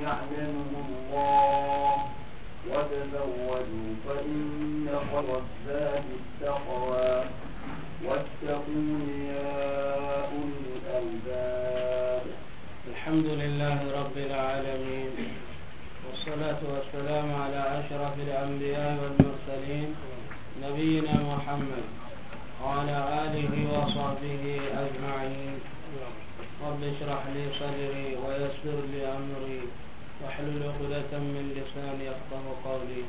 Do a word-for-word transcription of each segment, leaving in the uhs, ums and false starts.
يعلمه الله، وتزودوا فإن خير الزاد التقوى، واتقون يا أولي الألباب. الحمد لله رب العالمين، والصلاة والسلام على أشرف الأنبياء والمرسلين، نبينا محمد وعلى آله وصحبه أجمعين. رب اشرح لي صدري ويسر لي أمري واحلل عقدة من لساني يفقه قولي.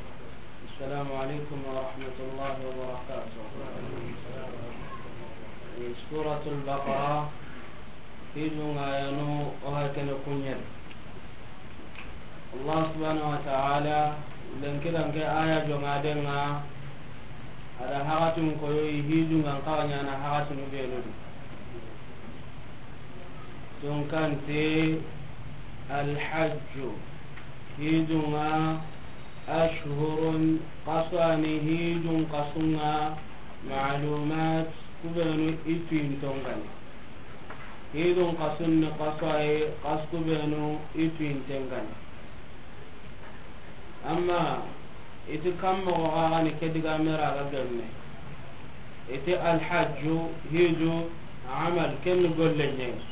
السلام عليكم ورحمة الله وبركاته. سورة البقرة، في جمعة ينو وهكذا كنير. Allah subhanahu wa ta'ala, lenki danke aya jongaden ŋa, a da haxatun koyo i hijun ŋa n xawa ɲana haxatunu benu di. Tun kante alhajju, hijun ŋa, ashhurun, xasu a ni hijun xasun ŋa, ma'lumat, ku benu i tuyinton ŋa ni. Hijun xasun ni xasu a yi, xasu ku benu i tuyinten ŋa ni. Amma i ti kan moxo xa ga ni ke digame ra ga gemme. I ti alhajju, hiju, amal, ken ni golle ɲa yi.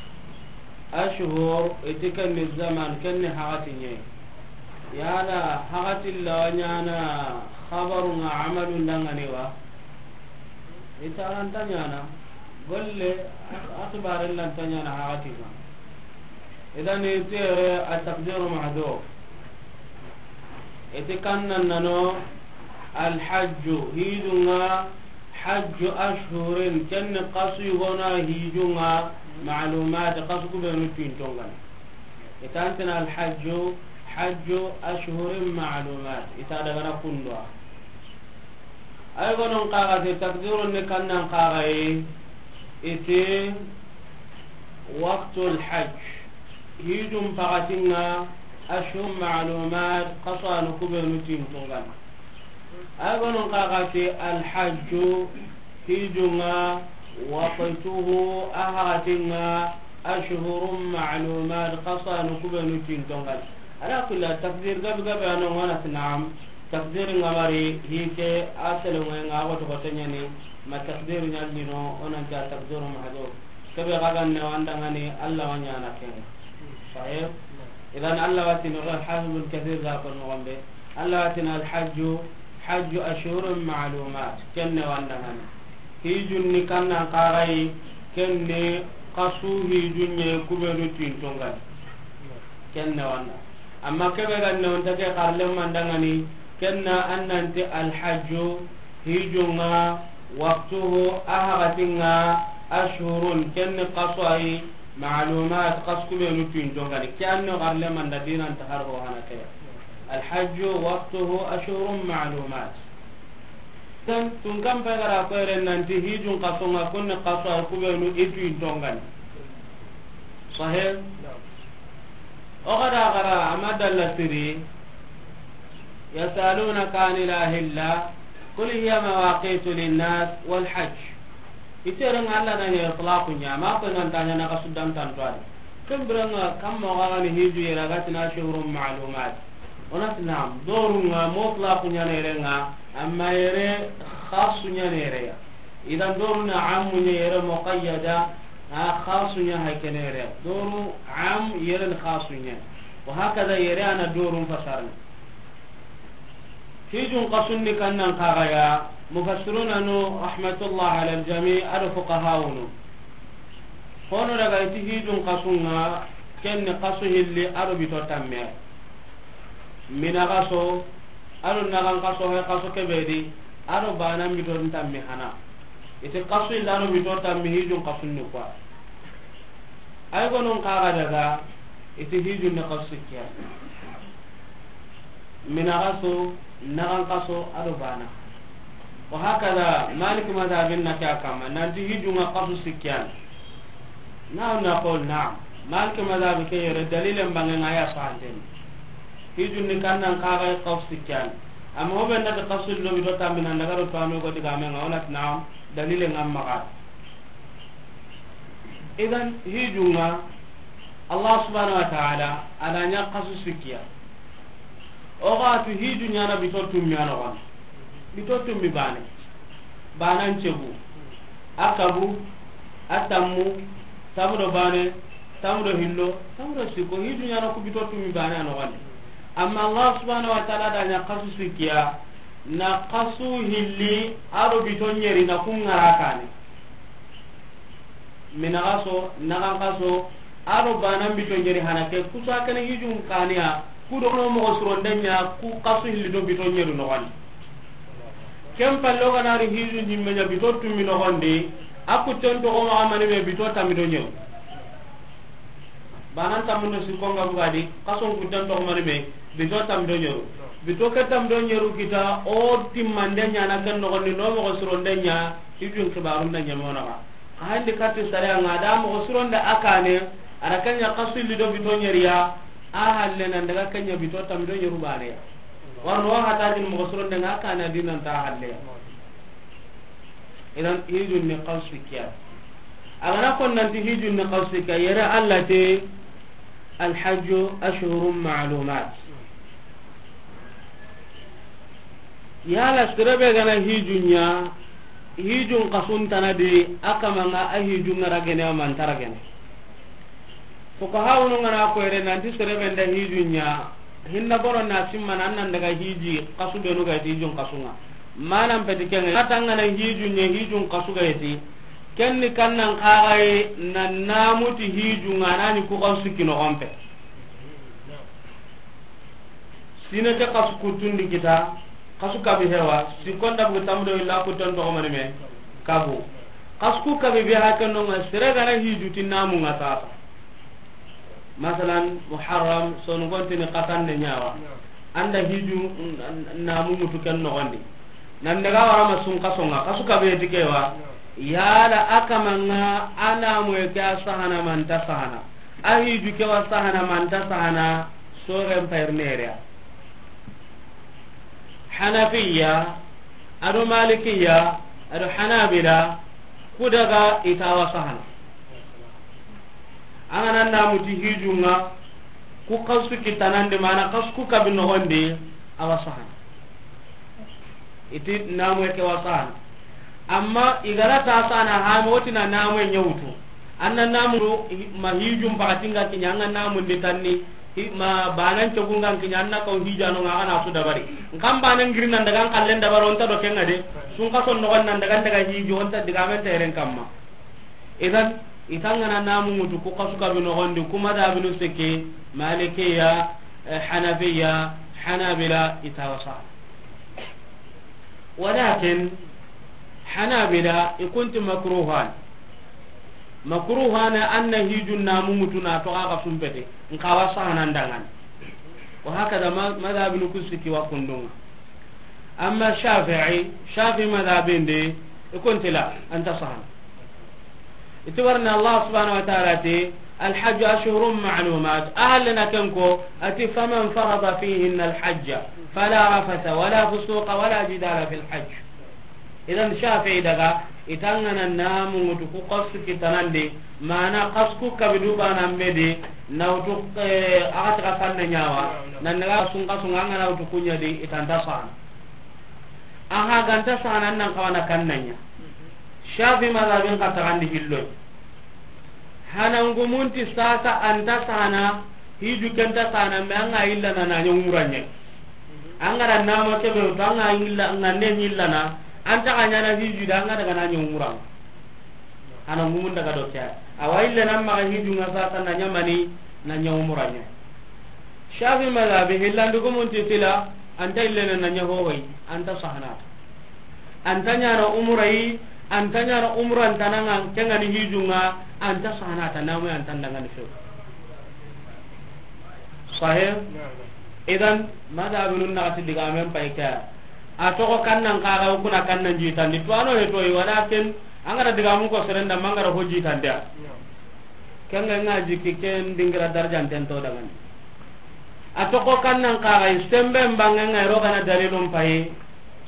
Ashhur, i ti ken ni zaman, ken ni haxati ɲa yi. Yala haxati lawa ɲana xabarun ŋa amalun da ŋa ni wa? I ti a ra nta ɲana. Golle, a xibaren la nta ɲana haxati ŋa. Idan i ti yere a taqdiru mahdhuf. I ti kan nan nano alhajju, hijun ŋa, hajju ashhurin, ken ni xasu yogona hijun ŋa, ma'lumat, xasu ku benu tuyinton ŋa ni. I ti an ti na alhajju, hajju ashhurin ma'lumat. I ti a daga na kunduwa. Ay gonon xaxa ti takdirun ni kannan xaxa yi, i ti waqtul hajj, hijun paxatin ŋa, ashhur ma'lumat, xasu a ni ku benu tuyinton ŋa ni. Ay gonon xaxa ti alhajju, hijun ŋa, waqtuhu, a haxatin ŋa, ashhurun ma'lumat, xasu a ni ku benu tuyinton ŋa ni. Ala kulli hal, takdir gabe gabe a no ŋa na ti naam. Takdir ŋa mari, hi ke a sele ŋa ŋa, a xoto xoto ɲa ni, ma takdir ɲa lino, o nan ti a takdiru mahdhuf. Kebe ga ga ne wanda ŋa ni, Allah wa ɲana ken ŋa. Sahih? Idan Allah wa ti no, Hafiz Ibn Kathir ga ko no gombe. Allah wa ti na alhajju, hajju ashhurun ma'lumat. Ken ne wanda ŋa ni. Hijun ni kannan xaxa yi, ken ni xasu hijun ɲa yi ku benu tuyinton ŋa ni. Ken ne wanda. Amma kebe ga ne wonta ke xarle manda ŋa ni, ken na an nan ti alhajju, hijun ŋa, waqtuhu, a haxatin ŋa, ashhurun, ken ni xasu a yi, ma'lumat, xasu ku benu tuyinton ŋa ni. Ke an no xarle manda dinan ta har ho hana ke ya. Alhajju waqtuhu ashhurun ma'lumat. Tan tun kan pe ga ra ko yere nan ti hijun xasu ŋa, kun ni xasu a yi ku benu i tuyinton ŋa ni. Sahih? O ga da gara a ma dalla siri. Yas'alunaka anil ahilla, qul hiya mawaqitu linnas wal hajj. I tere ŋa Allah na ɲa itlaqu ɲa, ma ko nan ta ɲa na xasu dan tan to a di. Ken bire ŋa kan moxo ga ni hiju yere a ga ti na ashhurun ma'lumat. O na ti naam, doru ŋa mutlaqu ɲa na yere ŋa, amma yere xasu ɲa na yere ya. Idan doru na ammu ɲa yere muqayyada, a xasu ɲa hay ken yere. Doru am yere ni xasu ɲa. Wa hakada yere a na doru fasarni. Hijun xasun ni kannan xaxa ya, mufassiruna no rahmatullah ala aljami, a do fuqahaunu. Hono daga i ti hijun xasun ŋa, ken ni xasu hilli a do bito tamme. Mina xaso, a do naxan xaso, hay xaso kebe di, a do bana bito tamme hana. I ti xasu hilli a do bito tamme hijun xasun ni kuwa. Ay gonon xaxa daga, i ti hijun ni xasu sikkiya. Mina xaso, naxan xaso, a do bana. Wa hakada, Malik mazhabin na ke a kamma, nan ti hijun ŋa xasu sikkiya. Na'am, naqul na'am. Malik mazhabi ke yere dalilen bange ŋa ya fanten. Hijun ni kannan xaxa xasu sikkiya. Amma o be na ti xasu lo bito tamme nan daga do to a no go digame ŋa, o na ti na'am, dalilen ŋa maxa. Idan hijun ŋa, Allah subhanahu wa ta'ala a na ɲa xasu sikki ya. O ga tu hiju ɲaana bito tummi a noxon di. Bito tummi baane. Baanan cegu. A kabu, a tammu, tammu do baane, tammu do hillo, tammu do sikko, hiju ɲaana ku bito tummi baane a noxon di. Amma Allah subhanahu wa ta'ala da ɲa xasu sikki ya, na xasu hilli, a do bito ɲeri na ku ŋara kaane. Mina xaso, naxan xaso, a do baanan bito ɲeri hana ke, kusa kene hijun kaane ya, ku do no moxo sironden ɲa, ku xasu hilli do bito ɲeri noxon di. Ken palle o ga na ri hiju ɲimme ɲa bito tummi noxon di, a kutten toxo maxa mani me bito tammi do ɲeru. Baanan tammu do sikko ŋa buga di, xason kutten toxo mani me bito tammi do ɲeru. Bito ke tammi do ɲeru kita, o timmande ɲaana ken noxon di, no moxo sironden ɲa, hijun xibaarun da ɲeme o naxa. Xa handi katti sariya ŋa da moxo sironde a kaane, a da ken ɲa xasu hilli do bito ɲeri ya, a halle nan daga ken ɲa bito tammi do ɲeru baane ya. Warno wa hata din moxo sironde ŋa a kaane a di nan ta halle ya. Idan hijun ni xasu sikki ya. A ga na ko nanti hijun ni xasu sikki ya, yere Allah ti, الحج أشهر معلومات. Yala sere be ga na hiju ɲa, hijun xasun tana di, a kama ŋa a hijun ŋa ragene, a ma nta ragene. Fuqahawunu ŋa na ko yere nanti sere be nda hiju ɲa, hinna bono na simma nan nan daga hiji xasu benu ga ti hijun xasu ŋa. Manan peti ken ŋa, a ta ŋa na hiju ɲa, hijun xasu ga ti. Ken ni kannan xaxaye na namu ti hiju ŋa na ni ku xasu sikki noxon pe. Sine ke xasu kuttundi kita, xasu kabi hewa, sikko nda bugu tammu do illa kutten toxo mani me, kabu. Xasu ku kabi be ha ken no ŋa, sere ga na hiju ti namu ŋa sasa. Masalan, Muharram, sonu gontini xasan ne ɲa wa. An da hiju, n-, n-, namu ŋutu ken noxon di. Nan daga wara ma sun xaso ŋa, xasu kabe ti ke wa. Yala a kama ŋa a namu ke a sahana ma nta sahana. A hiju ke wa sahana ma nta sahana, soren payir nereya. Hanafiya, a do Malikiya, a do Hanabila, ku daga i ta wa sahana. An ga na namu ti hiju ŋa, ku xasu kitanandi, mana xasu ku kabi noxon di, a wa sahana. I ti namu ke wa sahana. Amma i ga ra ta sahana, ha mo ti na namu ɲa wutu. An na namu ma hijun pakati ŋa kiɲa, an ga namu ndi tanni, hi-, ma baanan cogu ŋa kiɲa, an na kaw hijano ŋa, a ga na su dabari. N kan baanan giri nan daga n kallen dabaro, o nta do ken ŋa de. Sun xason noxon nan daga, n daga hiju, o nta digamen teren kamma. Idan, i ta ŋa na namu ŋutu, ku xasu kabi noxon di, ku madhabinu sikki, Malikiya, eh, Hanafiya, Hanabila, i ta wa sahana. Walakin, Hanabila, i ku nti makruhan. Makruhan, an na hijun namu ŋutu na toxo xa sumpete, n xa wa sahana n da ŋa ni. Wa hakada ma-, madhabinu ku sikki wa kundu ŋa. Amma Shafi'i, Shafi'i madhabin di, i ku nti la, a nta sahana. I ti warni Allah subhanahu wa ta'ala ti, الحج أشهر معلومات. A halle na ken ko, a ti, فمن فرض فيهن الحج فلا رفث ولا فسوق ولا جدال في الحج. Idan Shafi'i daga, i ta ŋa na namu ŋutu ku xasu kitanandi, mana xasu ku kabi du baanan be di, na wutu, eh, a ga ti xasan ne ɲa wa, nan daga sun xasu ŋa, an ga na wutu ku ɲa di, i ta nta sahana. A ha ga nta sahana, an nan xawa na kannan ɲa. Shafi madhabin xa taxandi hilloy. Hana ngumun ti sasa a nta sahana, hiju ke nta sahana, mais an ga yillana na ɲa umura ɲa. An ga ra nama kebe to, an ga yilla, an ga ne yillana, an ta ga ɲaana hiju da, an ga daga na ɲa umura. Hana ngumun daga do ke. A wa yillana ma hiju ŋa sasa na ɲa mani, na ɲa umura ɲa. Shafi madhabi hillandu gumun ti tila, a nta yillana na ɲa hohoy, a nta sahana. A nta ɲaana umura yi, a nta ɲaana umura n tana ŋa, ken ga ni hiju ŋa, a nta sahana ta namu, a nta n da ŋa ni few. Sahih? Idan, madhabinun naxati digamen pay ke. A toxo kannan xaxa, o ku na kannan jitandi. To ano he to yi, walakin, an ga ra digamun ko seren da, ma an ga ra ho jitandi ya. Ken ga ŋa jiki ken dingira darajanten to da ŋa ni. A toxo kannan xaxa, sembe n bange ŋa, i ro ga na dalilun pay.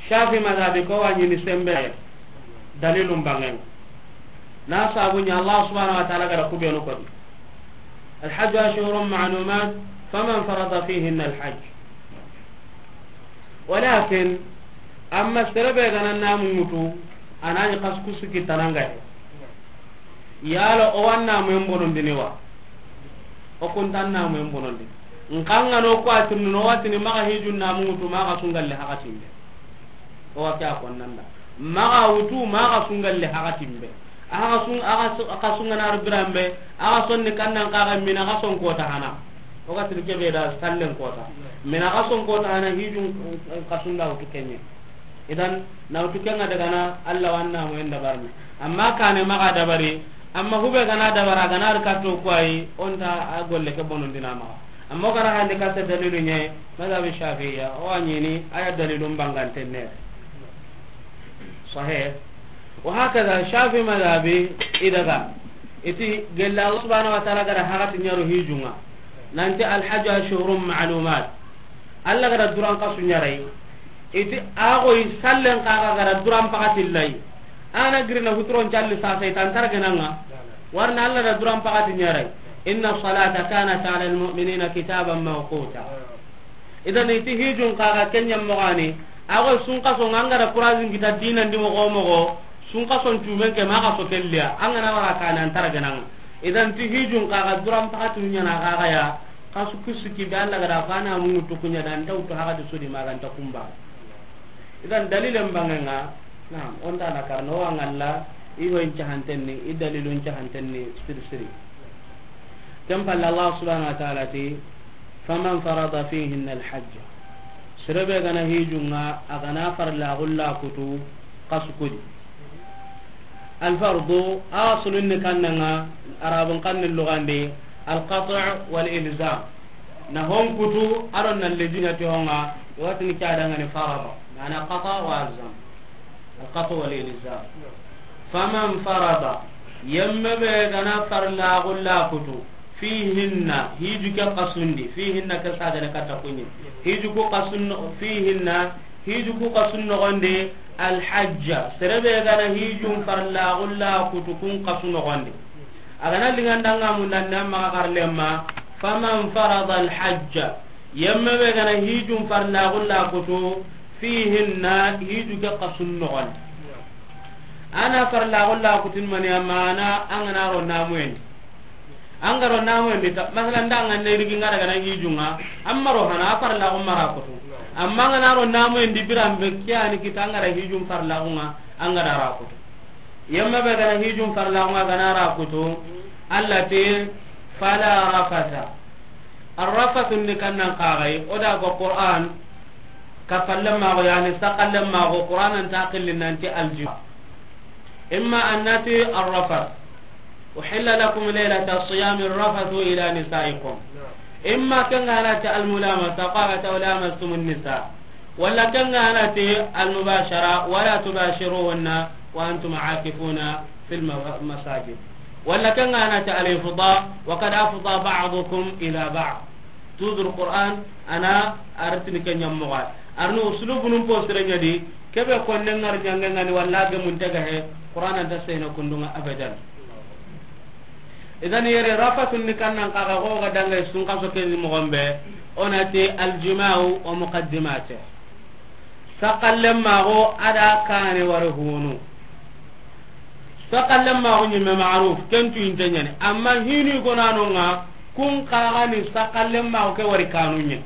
Shafi madhabi ko wa ɲini sembe. Dalilun bange. Na sabu ɲa Allah subhanahu wa ta'ala ga ra ku benu ko di. الحج أشهر معلومات، فمن فرض فيهن الحج. Walakin, amma sere be ga na namu ŋutu, a na ɲi xasu ku su kitanangaye. Yala o wa namuyen bonondini wa? O kunta namuyen bonondi. N xa ŋa no ko a tirindini o wa tini maxa hijun namu ŋutu, maxa sungalle haxatin be. O wa ke a konnanda. Maxa wutu, maxa sungalle haxatin be. Axa sun, axa su-, axa sungana ri biranbe, axa sonni kannan kaxa mina xa son kota hana. O ga tiri kebe da sallen kota. Mina xa son kota hana hijun, eh, xa sunda wutu kenye. Idan, na wutu kenga daga na Allah wanna mo en dabarni. Amma kane maxa dabari, amma hube gana dabara gana ri katto kuwayi, onta a golle ke bonondina maxa. Amma o gara hande ka se dalilu ɲe, madhabi Shafi'iyya, o wa ɲini, aya dalilun banganten ne. Sahih. Wa hakaza Shafi madhabi idaga. Iti gella Allah subhanahu wa ta'ala gara hagati ɲaro hijunga. Nanti al hajju ashhurun ma'lumat. Allah gara duran kasu ɲarai. Iti agoy sallen kaga gara duran pakati lay. Ana girina huturon calli sasa itan targenanga. Warna Allah da duran pakati ɲarai. Inna salata kanat ala al mu'minina kitaban mawquta. Idan iti hijun kaga kenya mogani, ago sunkaso ngangara kurazin kita dinan di mogo mogo, sunkason cumen ke maga so kelliya, angana wara kana antara gananga. Idan ti hijun kaga duran pakatu nyana kaga ya, kasu kusuki be Allah gara fana mu tukunya dan tawtu haga de sudi maganta kumba. Idan dalilen bangenga, naam, onta na karno wa ngalla, i ho in cahantenni, i dalilun cahantenni, siri siri. Ken palle Allah subhanahu wa ta'ala ti, faman farada fihinna alhajja. Sere be gana hijunga, a gana farla gulla kutu, kasu kudi. Alfardu, asulun ni kannanga, Arabun kanni lugande, alqat'u wal ilzam. Na hon kutu, aron na lejinya ti honga, watini kada ngani farada. Mana qata wa alzam. Alqat'u wal ilzam. Faman farada, yemme be gana farla gulla kutu, fihinna, hiju ke kasundi, fihinna ke sagane kata kunyi. Hiju ku kasun, fihinna, hiju ku kasun nogondi, alhajja, sere be gana hijun farla gulla kutu kun kasun nogondi. A gana lingandanga mundanda maga karlemma, faman farada alhajja, yemme be gana hijun farla gulla kutu, fihinna, hiju ke kasun nogondi. Ana farla gulla kutin mani amana angana ro namuyen. Angaro namuyen di ta, masalan da angana rigi ngara gana hijunga, amma ro hana farla gumara kutu. Amma angana ro namuyen di biran be kiyani kita angara hijun farla gunga, angara ra kutu. Yamma be gana hijun farla gunga gana ra kutu. Allah te fala rafasa. Arrafasun ni kannan kagai, o da go Qur'an, ka fallan mago, yani sakallan mago, Qur'an an ta qillin nanti aljima. Imma annati arrafas. Uhilla lakum laylata siyami arrafathu ila nisaikum. Imma kanga nati almulamasa, qala ta lamastumun nisa. Wala kanga nati almubashara, wala tubashiruhunna wa antum akifuna fil ma-, masajid. Wala kanga nati alifda, wa qad afda ba'dukum ila ba'd. Toujours Qur'an, ana artini ke ɲammoga. Arno uslubu num po sire ɲadi, kebe konne ngar ɲange ngani wala ge mun tega he, Qur'an anta sehna kundunga abadan. Idan yere rafasun ni kannan kaga go ga dangay sun kaso ke ni mogombe, onati aljima'u wa muqaddimate. Sakallen mago ada kane ware honu. Sakallen mago ɲimme ma'ruf, ken tu inte ɲani. Amma hinu gonanonga, kun kagani sakallen mago ke wari kanu ɲe.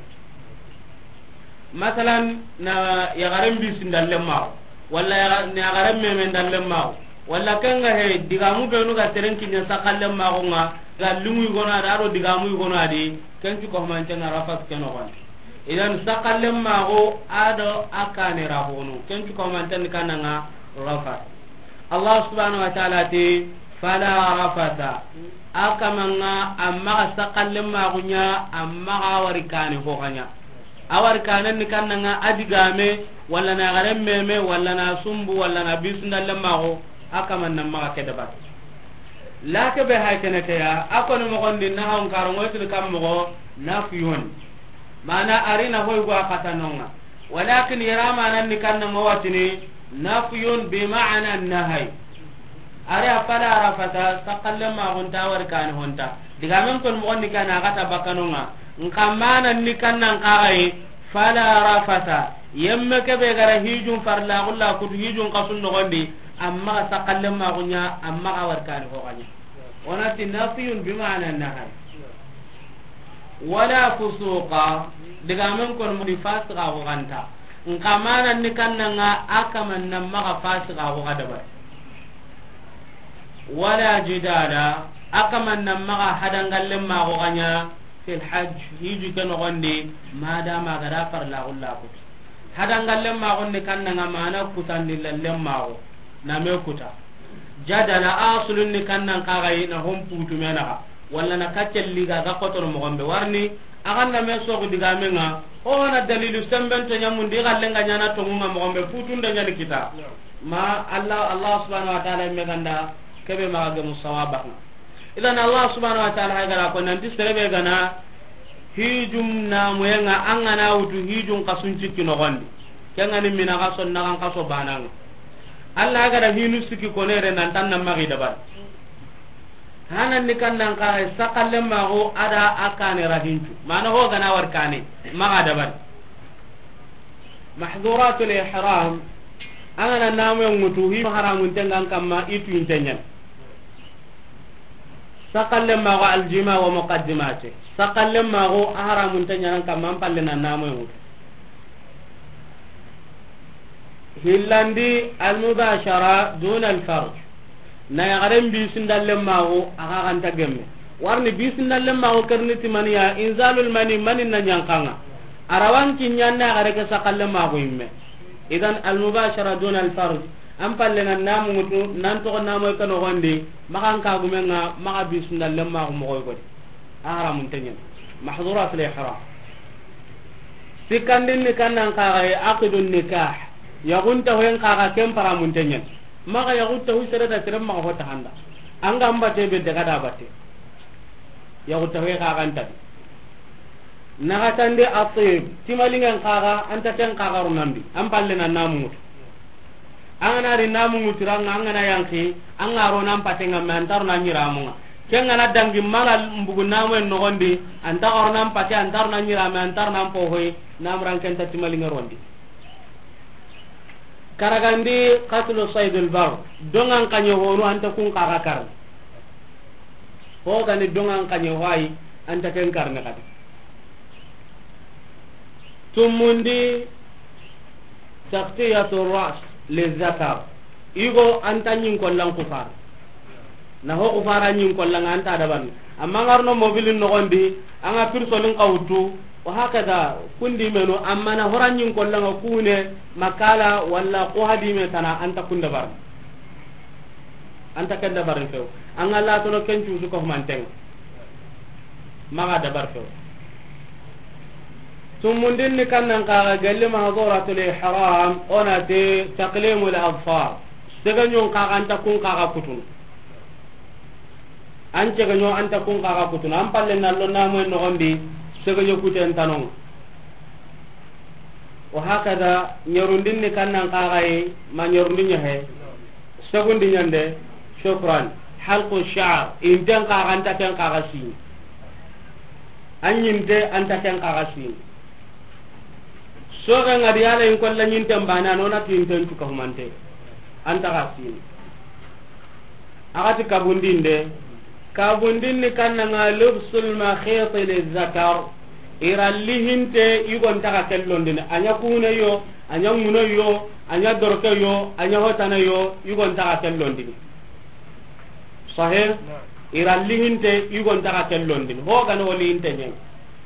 Masalan, na yagaren bisin dallen mago, wala yaga-, na yagaren memen dallen mago, wala kenga he, digamu benu ga teren kinya sakallen mago nga, ga lungu gonadi, ado digamu gonadi, ken tu ko mantenga rafas kenogon. Idan sakallen mago ado a kane ra honu. Ken tu ko manten kananga rafas. Allah subhanahu wa ta'ala ti, fala rafasa. A kamanga amma ga sakallen mago ɲa, amma ga wari kane ho kanya. A wari kanen ni kananga adigame, wala na garen meme, wala na sumbu, wala na bisundallen mago, a kaman nan maga ke dabar. Lake be hay kene ke ya, a koni mogondi na hawn karo ngoy til kam mogo, nafyun. Mana arina hoy go a katanonga. Walakin yara manan ni kanna mo watini, nafyun bi ma'na nahay. Ari a fala rafata, sakallen mago nta wari kani honta. Digamen kon moxon ni kana a ga ta bakkanonga. Nka mana ni kannan kaxaye, fala rafasa. Yemme kebe gara hijun farla xulla kutu hijun kasun noxondi, amma ga sakallen maxunya, amma ga warkani hoxanya. Onati nafiyun bimana nahai. Wala fusuqa. Digamen kon moxon di fasiqa xoganta. Nka mana ni kannanga a kaman nan maxa fasiqa xoga dabari. Wala jidala, a kaman nan maxa hadangallen maxo ganya fil hajj, hiju ke noxondi, madama gada farla xulla kutu. Hadangallen maxon ni kannanga mana kutandi lallen maxo, na me kuta. Jadala asulun ni kannan kaxayi na hon putu menaxa, walla na kaccelli ga ga kotono moxon be warni, a ganna me soxu digamenga, o hana dalilu sembento ñamundi, i xallenga ñana tongunga moxon be, putunda ñani kita. Ma Allah, Allah subhanahu wa ta'ala me ganda kebe maxa gemu sawabanga. Idan Allah subhanahu wa ta'ala hay gara ko nanti serebe gana hijum namuyenga, an gana wutu hijun kasun cikki noxondi, kengani mina kaso naxan kaso bananga. Allah gara hinu sikki konere nantan na maxi dabari. Hanan ni kannan kaxe sakallen maxo ada a kane rahincu. Mana ho gana war kane maxa dabari. Mahduratul ihram, an gana namuyen ŋutu, hi haramun tengan kamma, itu intenyen. Sakallen maxo aljima wa muqaddimati. Sakallen maxo a haramun tenyan kamma, an palle na namuyen ŋutu. Hillandi almubashara duna alfarj. Na yaxaren bisindallen maxo a xa xanta gemme. Warni bisindallen maxo kerni timaniya inzalul mani, mani na ñankanga. Arawan kinyan na yaxare ke sakallen maxo imme. Idan almubashara duna alfarj. An palle na namu ŋutu, nan toxo namoy ke noxondi, maxan kagumenga, maxa bisindallen maxo moxoy godi. A haramun tenyen. Mahduratul ihram. Sikkandin ni kannan kaxaye, aqidun nikah. Yaxunta hoyen kaxa ken paramun tenyen. Maxa yaxunta hu sere da sere maxa hota handa. Anga mbate be daga da batte. Yaxunta hoye kaxantadi. Naxatandi atib, timalingen kaxa, anta ken kaxa ro nambi, an palle na namu ŋutu. An gana ri namu ŋutu ranga, an gana yanki, an ga ro nan patenga me, antar na ñiramunga. Ken gana dangi mala mbugu namu en noxondi, anta ga ro nan pate, antar na ñirame, antar nan pohoy, namuran ken ta timalinge rondi. Karagandi qatlu saydul bar, dongan kanye honu anta kun kaga karni. Ho gani dongan kanye hoyi anta ken karni kadi. Tumundi taqtiyatu ras lizakar. Igo anta nyin kollan kufar. Na ho ku fara ñin kollanga anta dabarni. Amma ngarno mobilin nogondi, anga pirsolin kawtu, wa hakada kundi menu, amma na hora ñin kollanga kune, makala, walla ko hadime tana anta kunda barni. Anta ken dabarni few. Anga latono ken cusu ko mantenga. Maga dabar few. Tumundin ni kannan kaga galli mahzuratul ihram, onati taqlimul azfar. Segañon kaga anta kun kaga kutun. An cegaño anta kun kaga kutun. An palle nallo namoy nogondi segaño kuten tanon. Wa hakada ñerundin ni kannan kagayi ma ñerundi ñahe. Segundi ñande, shukran. Halqu sha'r, inten kaga anta ken kaga sini. An ñinte anta ken kaga sini. Soge ngadi yala in kolla ñinten bana nona tinten tuka humante. Anta ga sini. Agati kabundinde. Kabundin ni kannanga lubsul makhiti lizakar. Iralli hinte igon taga kellondini. Anya kune yo, anya nguno yo, anya dorke yo, anya hotana yo, igon taga kellondini. Sahih? Iralli hinte igon taga kellondini. Ho gana wali hinte ñen.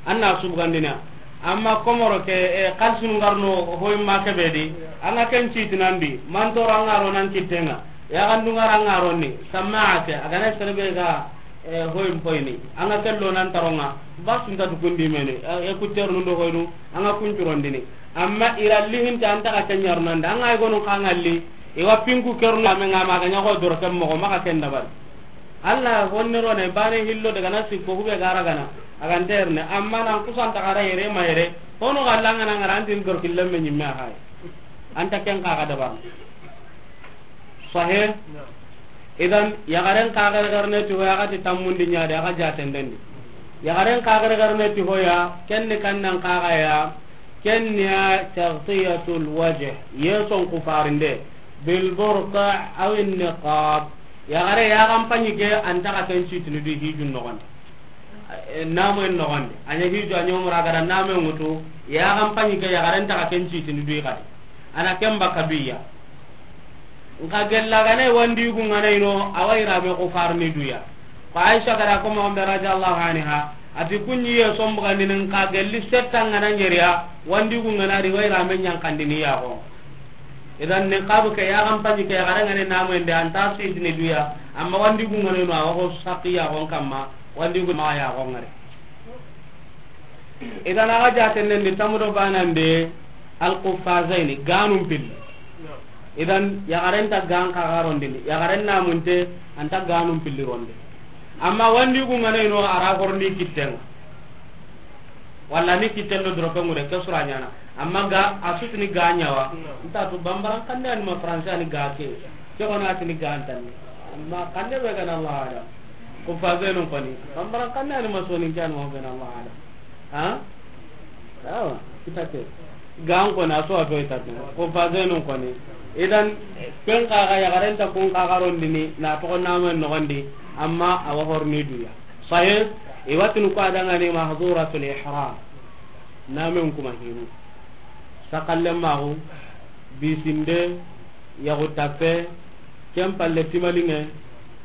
Anna subgandina. Amma komoro ke, e, kalsunu ngarno hoy ma kebedi. Anga ken citinandi. Mantoro anga ro nan kitenga. Ya gandu ngara anga ronni. Samma ke. Agana serbe ga, e, hoy mpoyni. Anga kello nan taronga. Basu nta dukundi meni. E, e kutter nundo hoynu. Anga kunturondini. Amma iralli hinte anta ga kenyar nanda. Anga igono kangalli. Iwa pinku kernu ame nga maga ñago doro ken mogo maga ken dabari. Allah honni rone bane hillo daga na sikko hube gara gana. Aganterne amma nan kusanta gara yere ma yere. Hono galla ngana ngara antin dor killemme ñimme hay. Anta ken kaga dabar. Sahih? Idan, yaxaren kaxerexerene ti hoya, a ga ti tammundi ɲa de, a ga jatendendi. Yaxaren kaxerexerene ti hoya, ken ni kannan kaxaya, ken ni ya taghtiyatul wajh, yeson kufarinde, bil burqa aw niqab. Yaxare yaxan paɲi ke, an ta xa ken citini du hijun noxondi. Eh, namoyen noxondi. A ɲa hiju, a ɲa umra, a ga da namoyen ŋutu, yaxan paɲi ke, yaxaren ta xa ken citini du xadi. A na ken baka du ya. Nxa gella gane wandi yugu ŋana ino, a wa yirame kufarni du ya. Ko Aisha ga da ko moxo be radiyallahu anha, a ti kunɲi yeson bugandini, nxa gelli setta ŋana ɲeriya, wandi yugu ŋana ri, wa yirame ɲankandini yaxo. Idan niqabu ke, yaxan paɲi ke, yaxare ŋane namoyen de, an ta sitini du ya, amma wandi yugu ŋana ino, a wa xo saki yaxon kamma, wandi yugu ma yaxo ŋari. Idan a ga jatendendi tamu do banande, al quffazaini, ganun pilli. Idan yaxaren ta gan kaxarondini, yaxaren namunte, an ta ganun pilli ronde. Amma wandi yugu ŋana ino, a ra horni kittenŋa. Walla ni kitten do doroke ŋure, ke sura ɲana. Amma ga, a sutini ga ɲawa. Nta tu bambaran kanne ani ma français ani ga ke. Ke xona tini ga antani. Amma kanne be gana Allah alam. Quffazainun koni. Bambaran kanne ani ma soninke ani ma be gana Allah alam. Ha? Awa, kita ke. Gan koni, a so a to itate. Quffazainun koni. Idan, ken kaxa yaxaren ta kun kaxarondini, na toxo namoyen noxondi, amma a wa horni du ya. Sahih, i wa tini ko a dangani mahduratul ihram. Namen kuma hinu. Sakallen maxu, bisinde, yaxu tappe, ken palle timaliŋe,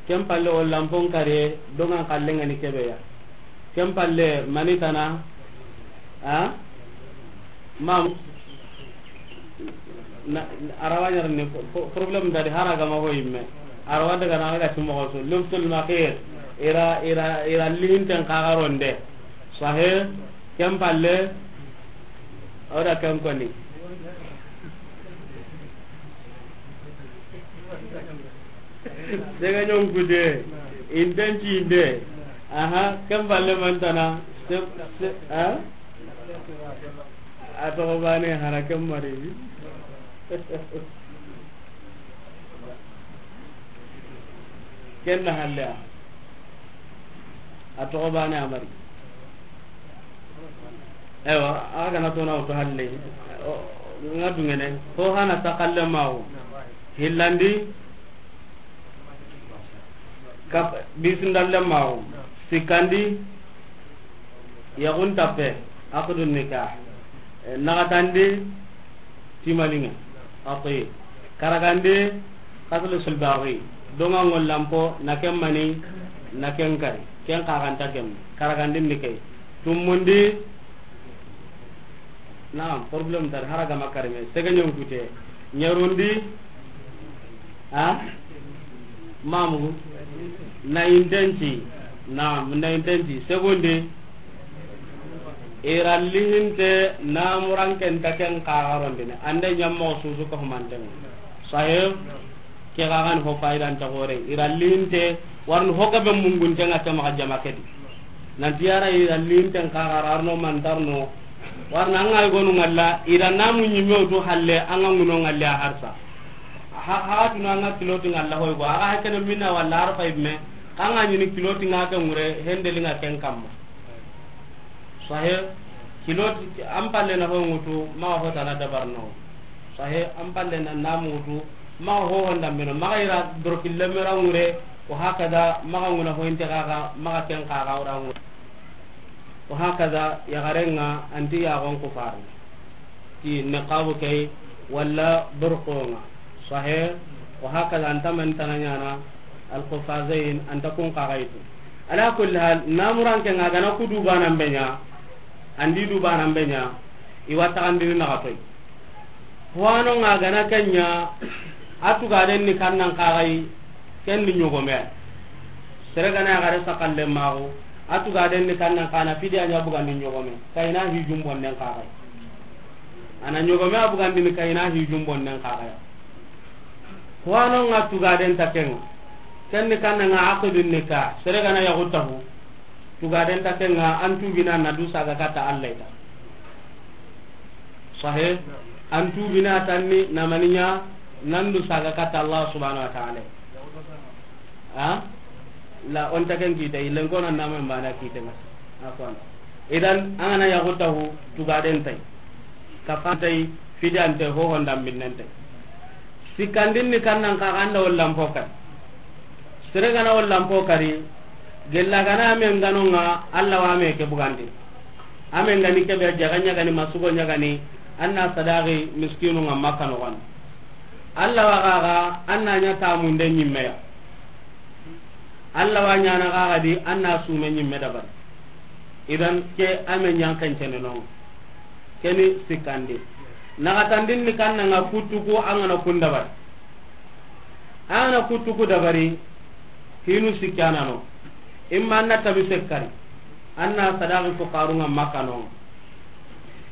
ken palle o lampon kariye, dongan kallen ŋa ni kebe ya. Ken palle manitana, a? Mam, na, arawa ɲarini po-, po-, problème nta di, hara gama ho yimme. Arawa daga na ga timoxo su. Lubsul makhir. Ira, ira, ira lihinten kaxaronde. Sahih. Ken palle. Oda ken koni. Sega ɲon kude. Inten cinde. Aha, ken palle mantana. Se, se, ha? A toxo bane hara ken mari. Ken na halle a. A toxo bane a mari. Ewa, a gana tona wutu halle. O, nga dungene. Ko hana sakalle mawo. Hillandi. Kap-, bisindalle maxu, sikkandi, yaxun tappe, aqdu nikah, eh, naxatandi, timaliŋe, ati, karagandi, qatlu sulbari, donga ŋollampo, na ken mani, na ken kari, ken kaxanta ken, karagandi ni key, tumundi, Naam, problème tari, hara gama karime. Sege ɲonkute. Ɲerundi. Ha? Mamu. Na intensi. Naam, na intensi. Segundi. Ira lihinte namuran ken ta ken kaxarondini. Ande ɲammo susu ko humanten. Sahih. Ke ga gani ho fayidan ta gore. Ira linte, warni ho gabe mungunte nga ke maxa jama ke di. Nanti yara ira linten kaxa ra arno mantarno. Warna anga gonu ngalla, ira namu ɲimme wutu halle, anga nguno ngalle a harsa. Ha, ha tuna anga kiloti ngalla hoy go. Aga hakene minna walla arfa ibme. Kanga ɲini kiloti nga ke ngure, hendeli nga ken kamma. Sahe, kiloti, an palle na ho ŋutu, maxa ho tana dabarno. Sahe, an palle na namu ŋutu, maxa ho honda meno, maxa ira doroki lemera ŋure, wa hakada, maxa ŋuna ho inte kaxa, maxa ken kaxa ura ŋure. Wa hakada, yaxarenga, anti yaxon kufarni. Ti niqabu key, walla burqonga. Sahe, wa hakada, anta man tana ɲana, al qufazain, anta kun kaxaytu. Ala kulli hal, namuran ke nga gana ku dubanan be ɲa, andi dubanan be ɲa, i wa taxandini naxa toy. Hoano nga gana ke ɲa, a tugaden ni kannan kaxay, ken ni ɲogome. Sere gana yaxare sakalle maxu, a tugaden ni kannan kana fidi a ɲa bugandi ɲogome, kayina hijun bonnen kaxay. Ana ɲogome a bugandini kayina hijun bonnen kaxaya. Hoano nga tugaden ta kenga. Ken ni kanna nga aqidun nikah. Sere gana yaxu taxu. Tugaden ta kenga an tubina na du saga kata Allah ita. Sahe. An tubina tanni na maniɲa nan du saga kata Allah subhanahu wa ta'ala. A la, o nta ken kita, i len ko na nama mbaane kita nga. A ko an. Idan, an ga na yaxu taxu, tugaden tay. Kafan tay, fidiyan tay, hohon dambinnen tay. Sikkandin ni kannan xa, an da o lampo kari. Sere ga na o lampo kari, gella ga na a me ngano nga, Alla wa a me ke bugandi. A me ngani ke be, jaga ɲagani, masugo ɲagani, an na sadaqi miskinu nga Makka noxon. Alla wa ga ga, an na ɲa tamunde ɲimme ya. Alla wa ɲaana xa ga di, an na sume ɲimme dabari. Idan ke a me ɲan kencene no. Keni sikkandi. Naxatandin ni kannan nga kuttu ku, an ga na kun dabari. An ga na kuttu ku dabari, hinu sikkana no. Imma an na tabi sekkari. An na sadaqi fuqaru nga Makka no.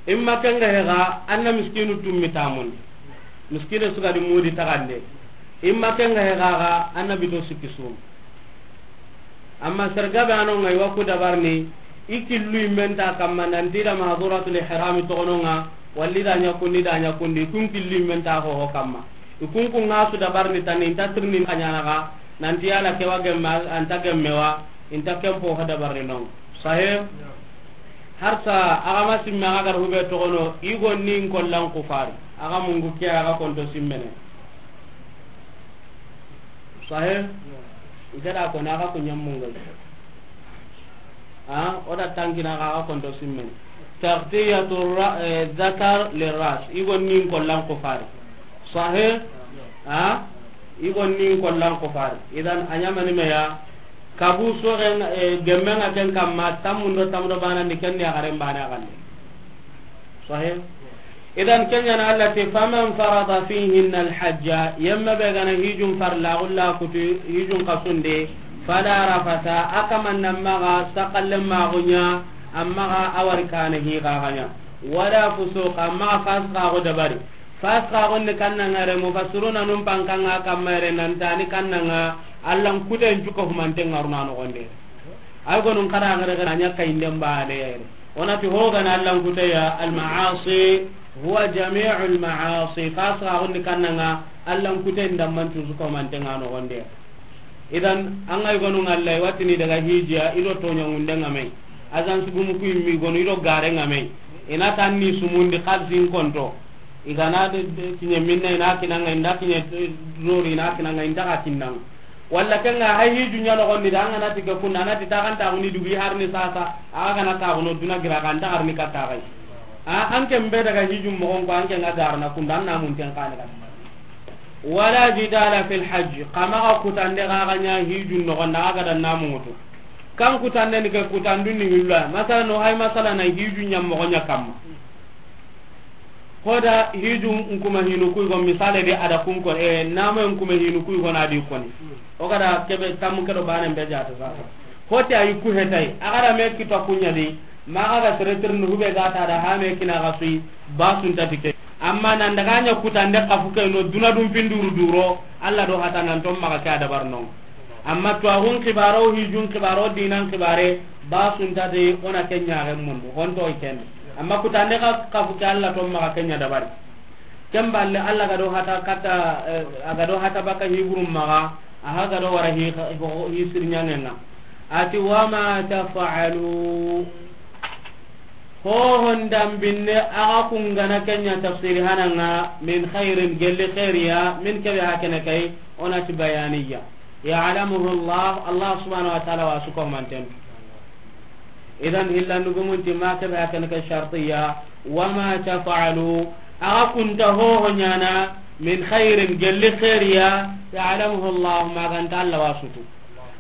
Imma ken ga he ga, an na miskinu tummi tamundi. Miskine su ga di mudi taxande. Imma ken ga he ga ga, an na bito sikki sum. Amma sergabe ano nga i wa ku dabarni, i killu immen ta kamma, nanti da mahduratul ihrami toxono nga, walli da ɲa kundi, da ɲa kundi, kun killu immen ta hoho kamma. I kun kun nga su dabarni tan, inta tirni ka ɲana ga, nanti yala ke wa gemme, anta gemme wa, inta kempo ho dabarni non. Sahih? Har sa, a ga ma simme, a ga gar hube toxono, i go nin kollan kufari. A ga mungu ke, a ga konto simmene. Sahih? Nke da ko na ga ku ɲammu ngai. A, o da tankina ga, ga konto simmene. Taghtiyatu ra-, eh, dhakar li ras. I go nin kollan kufari. Sahih? A? I go nin kollan kufari. Idan a ɲamani me ya. Kabu soxen, eh, gemmen nga ken kamma, tammundo, tammundo bana ni ken ni a garen bana galle. Sahih? Idan, ken ɲa na Alla ti, "Faman farada fihinna alhajja," yemme be ga na hijun farla, gulla kutu hijun kasunde, "fala rafasa," a kaman na maxa sakalle maxu ɲa, amma ga a wari kana hi ga ga ɲa, "wala fusuqa," amma ga fasqa go dabari. Fasqa gon ni kannan nga re, mufassiruna num pankanga kamma re, nan tani kannan nga, Allan kuten cuka humanten ngaruna no gonde. Ay gonun kara ngare ngare anya kayinde mbaane yere. Onati hogana Allan kuteya, al ma'asi huwa jami'ul ma'asi. Fasqa gon ni kannan nga, Allan kuten damman cuka humanten nga no gonde. Idan, an ga i gonu nga Alla, i wa tini daga hijiya, i do toɲa ŋunde nga me. Azan sugumu ku immi gonu, i do gare nga me. I na tan ni sumundi xalsin konto. I ga na de, de, kiɲe minna, i na kinanga, i nda kiɲe, eh, dori, i na kinanga, i nda ga kinnanga. Walla ken nga hay hiju ɲa no gonni da, an ga na ti ke kunna, a na ti taxanta guni dugi harni sasa, a ga na taxuno duna gira ga nda harni katta gay. A, an ken be daga hiju moxon ko, an ken ga garna kunda, an na mun ten kane kan. Wala jidala fil hajj, xa maxa kutande xa ga ɲa hijun noxon da, xa ga da namu ŋutu. Kan kutande ni ke, kutandun ni hillo ya. Masala no hay, masala na hijun ɲa moxo ɲa kamma. Hoda hijun nkuma hinu kuy go, misale de, a da kun ko, e, namu nkuma hinu kuy go na di koni. O ga da kebe tamu ke do banen be jata sasa. Hoti ayi ku hetay, a ga da me kita kunya di, maxa ga sere tirni hube ga ta da ha me kina ga suyi, ba sunta ti ke. Amma nan daga ɲa kutande xafu ke no, duna dun pinduru duro, Alla do hata nan to maxa ke a dabar no. Amma to agun xibaro, hijun xibaro, dinan xibare, ba sunta ti o na ke ɲa ga mundu, honto i ken. Amma kutande xa, xafu ke Alla to maxa ke ɲa dabari. Ken balle Alla ga do hata kata, eh, a ga do hata baka hiburum maxa, a ha ga do wara hi, hi, hi sirɲangenga. Ati, "Wa ma taf'alu." Hohon dambinne, a ga kungana ken ɲa tafsiri hananga, min khairin, gelli khairiya, min kebe hakene kay, o na ti bayaniya. Ya'lamuhu Allah, Allah subhanahu wa ta'ala wa su ko manten. Idan, hillandu gumunti ma kebe hakene kay shartiya, wa ma taf'alu, a ga kunta hoho ɲana, min khairin, gelli khairiya, ya'lamuhu Allah, ma ganta Allah wa su tu.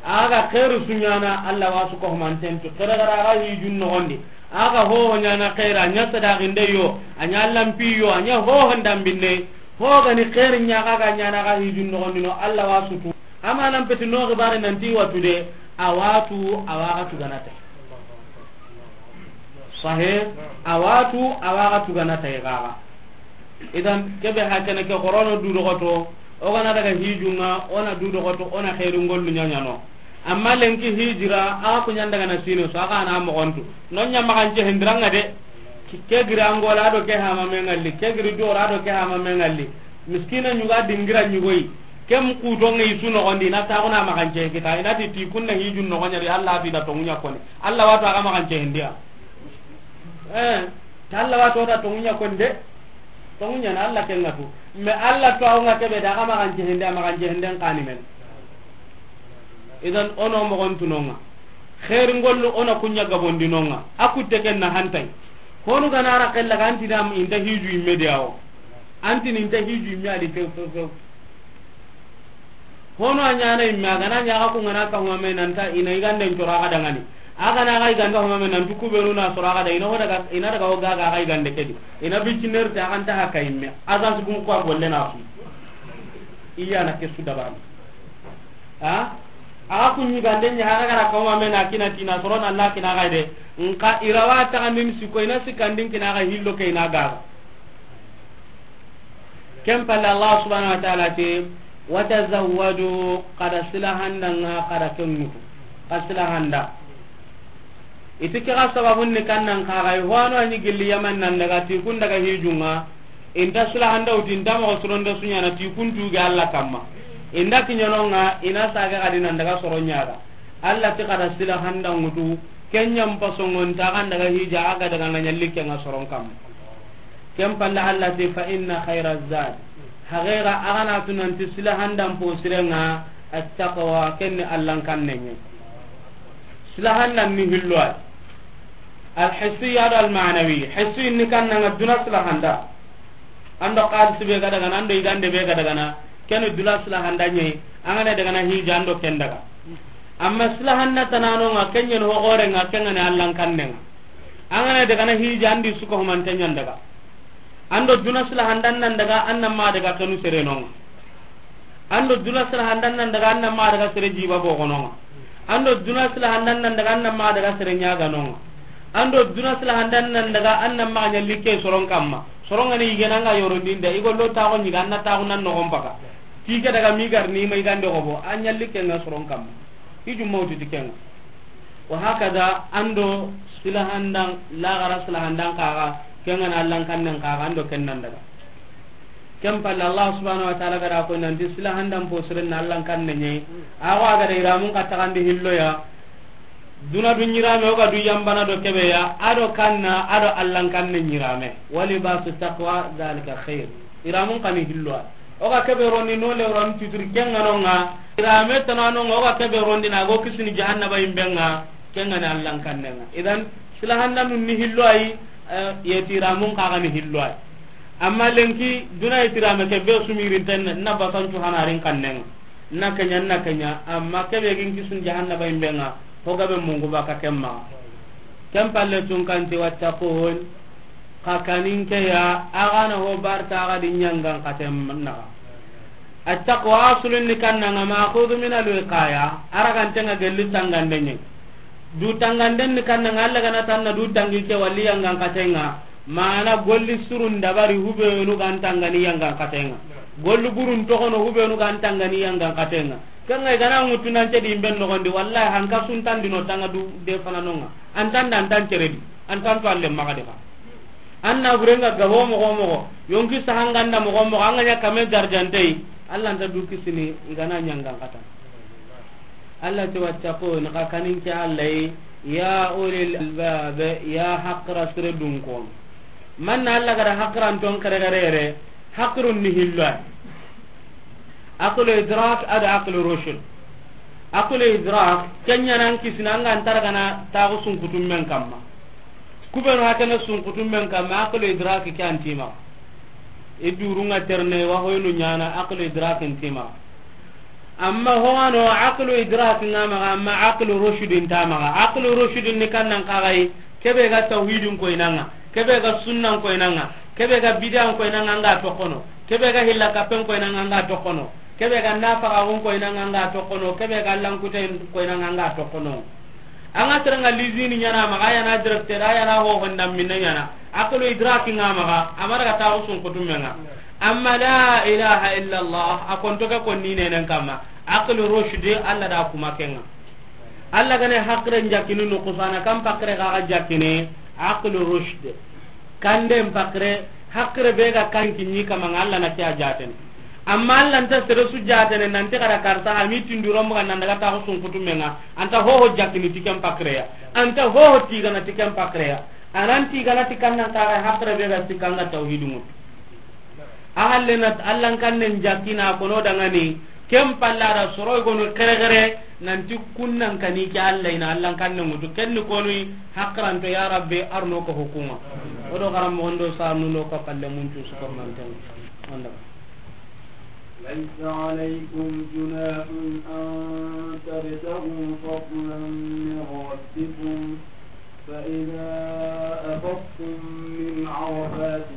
A ga xeeru su ɲana, Alla wa su ko humanten tu. Xere gara a ga hijun noxondi. A ga hoho ɲana xeera, a ɲa sadaqinde yo, a ɲa lampi yo, a ɲa hoho ndambinde. Ho ga ni xeeri ɲa ga ga ɲana ga hijun noxondi no, Alla wa su tu. Ama nan peti no xibare nanti watu de, a watu, a wa ga tugana tay. Sahih, a watu, a wa ga tugana tay gaga. Idan, kebe hakene ke xorono du dogoto, o gana daga hijunga, o na du dogoto, o na xeeru ngollu ɲaɲano. Amma lenki hijira, a ku ɲan daga na sino, so a ga na moxontu. No ɲa maxance hindiranga de, ke giri Angola do ke hama mengalli, ke giri Dora do ke hama mengalli. Miskina ɲuga dingira ɲugoyi. Kem kutonŋe i su noxondi, i na taxuna maxance kita, i na ti ti kunna hijun noxoñadi, Allah fi da tonŋuña koni. Allah wato axa maxance hindiya. Eh, ta Allah wato da tonŋuña koni de. Tonŋuña na Allah ken ŋa tu. Mais Allah to axa ŋa kebe da axa maxance hindiya, maxance hinden kani men. Idan ono moxon tunonŋa. Xeeri ngollu ona kuña gabondinonŋa. A kutte ken na hantay. Honu gana ra xella ga anti dam inta hiju imme diyawo. Anti ninta hiju imme adi few few few. Hono a ñana imme, a gana ñaxa ku ngana ka humame nanta ina iganden coro axa dangani. A gana axa igande humame nantu kubenu na soro axa da ina ho daga, ina daga o gaga axa igande kedi. Ina bicinerte axa nta haka imme. Agence gum ko a golle na su. Iya na ke su dabarni. Ha? Axa ku ñigande ña axa gara ka humame na kina tina soro na la kina axa de. Nka irawa taxandin siko ina sikandin kina axa hillo ke ina gaga. Ken palle Allah subhanahu wa ta'ala ti, "Wa tazawwadu," kada silahanda nga kada ken ŋutu. Ka silahanda. Iti ke ga sababun ni kannan ka ga, i ho ano a ñi gilli Yaman nan daga ti kun daga hijunŋa. Inta silahanda wuti, inta moxo suronda suñana ti kun tuge Allah kamma. Inda kiñanonŋa, ina sage gadi nan daga soro ñaga. Allah ti kada silahanda ŋutu, ken ñam pasongon ta kan daga hija aga daga na ñalli kenŋa soron kamma. Ken palle Allah ti, "Fa inna khayra zad." Haqiqa, a ga na tu nanti silahandan po sirenŋa, attaqwa, ken ni Allan kannen ñe. Silahandan ni hillo ay. Al hissiya do al ma'nawi. Hissi ni kannanga duna silahanda. Ando xalisi be ga dagana, ando igande be ga dagana, ken duna silahanda ñe, an ga na dagana hija ando ken daga. Amma silahanda tananonŋa, ken ñen ho xorenŋa, ken ga ni Allan kannenŋa. An ga na dagana hija andi suko humante ñan daga. Ando duna silahandan nan daga, an nan ma daga kanu serenonŋa. Ando duna silahandan nan daga, an nan ma daga sere jiba bogononŋa. Ando duna silahandan nan daga, an nan ma daga sere ñaganonŋa. Ando duna silahandan nan daga, an nan ma ña likke soron kamma. Soron ga ni igena nga yorondinde, igo lo taxo ñiga, an na taxu nan noxon paga. Ti ke daga migar ni ma igande xobo, an ña likke nga soron kamma. Ijum mawti ti kenŋa. Wa hakada, ando silahandan, lagara silahandan kaga, ken ga na Allan kannen kaga, ando ken nan daga. Ken palle Allah subhanahu wa ta'ala ga da ko nanti silahandan po siren na Allan kannen ñe. Awa ga da iramun ka taxandi hillo ya. Duna du ñirame o ga du yambana do kebe ya, ado kanna, ado Allan kannen ñirame. Wa libasu taqwa dhalika khair. Iramun kani hillo ya. O ga kebe rondi no le ron tuturi kenŋa nonŋa. Irame tananonŋa, o ga kebe rondi na go kisini jahannaba imbenŋa, kenŋa ni Allan kannenŋa. Idan, silahandanun ni hillo ay, eh, yeti iramun kaga ni hillo ay. Amma lenki, duna yeti irame ke be sumirin ten na basancu hanarin kannenŋa. Na kenya, na kenya, amma kebe gin kisun jahannaba imbenŋa, ho gabe mungu baka kemma. Ken palle tun kanti wattaqun, Xa kanin ke ya, a ga na ho barta a ga di ñangan xaten naxa. Attaqwa asulun ni kannanga ma'khudhu min al-wiqaya, a ragantenga gelli tangande ñe. Du tanganden ni kannanga, Allah ga na tanna du tangi ke walli yangan xatenŋa. Mana golli surun dabari hubenu gan tangani yangan xatenŋa. Golli burun toxono hubenu gan tangani yangan xatenŋa. Kenŋa i ga na ŋutu nan cedi imben noxondi, wallahi hanka suntandino tanga du de fananonŋa. Antanda antan ceredi, antan to alle maxa de xa. An na burenga gabo moxo moxo, yonki sahanganda moxo moxo, an ga ña kame darjantey, Allah nta du kisini i ga na ñangan xata. Allah ti wattaqun, xa kanin ke Allah yi, ya ulil albab, ya haqra sire dunkon. Man na Allah ga da haqran ton kare kare re, haqrun ni hillo ay. Aqlu idrak ado aqlu rushd. Aqlu idrak, kenya nan kisina an ga nta ragana taxu sunkutum men kamma. Kubenu hakene sunkutum men kamma, aqlu idrak ke antima. I durunga terne wa hoynu ñana aqlu idrak intima. Amma howano aqlu idrak nga maxa, amma aqlu rushd inta maxa. Aqlu rushd ni kannan kaxay, kebe ga tawhidin koynanga, kebe ga sunnan koynanga, kebe ga bid'an koynanga nga tokono, kebe ga hilla kapen koynanga nga tokono, kebe ga nafaxaxun koynanga nga tokono, kebe ga lankuten koynanga nga tokono. Anga teranga lizini ñana maxa, ayana directeur, ayana ho honda minna ñana. Aqlu idraki nga maxa, amara ga taxu sunkutum menga. Amma la ilaha illa Allah, a konto ke konni nenen kamma. Aqlu rushd, Allah da kuma kenga. Allah gane haqre jakini no kusana kam pakre ga jakini, aqlu rushd. Kande pakre, haqre be ga kan kinni kamanga Allah na kiya jaten. Amma Alla nta sere su jaatene nanti xara karsa a mi tinduro mbuga nan daga taxu sunkutu menga. Anta hoho jakkini ti ken paxreya. Anta hoho tigana ti ken paxreya. Anan tigana ti kannan kaxa haqre be ga sikkanga tawhidu ŋutu. A halle na Alla n kannen jakkina kono dangani. Ken palla da soro gonu xerexere nanti kunnan kani ke Alla ina Alla n kannen ŋutu. Ken ni konu haqranto ya Rabbi arno ko hukuma. Odo garam mondo sa nuno ko palle mun tu su ko manten. Onda. ليس عليكم جناح أن تبتغوا فضلا من ربكم، فإذا أفضتم من عرفات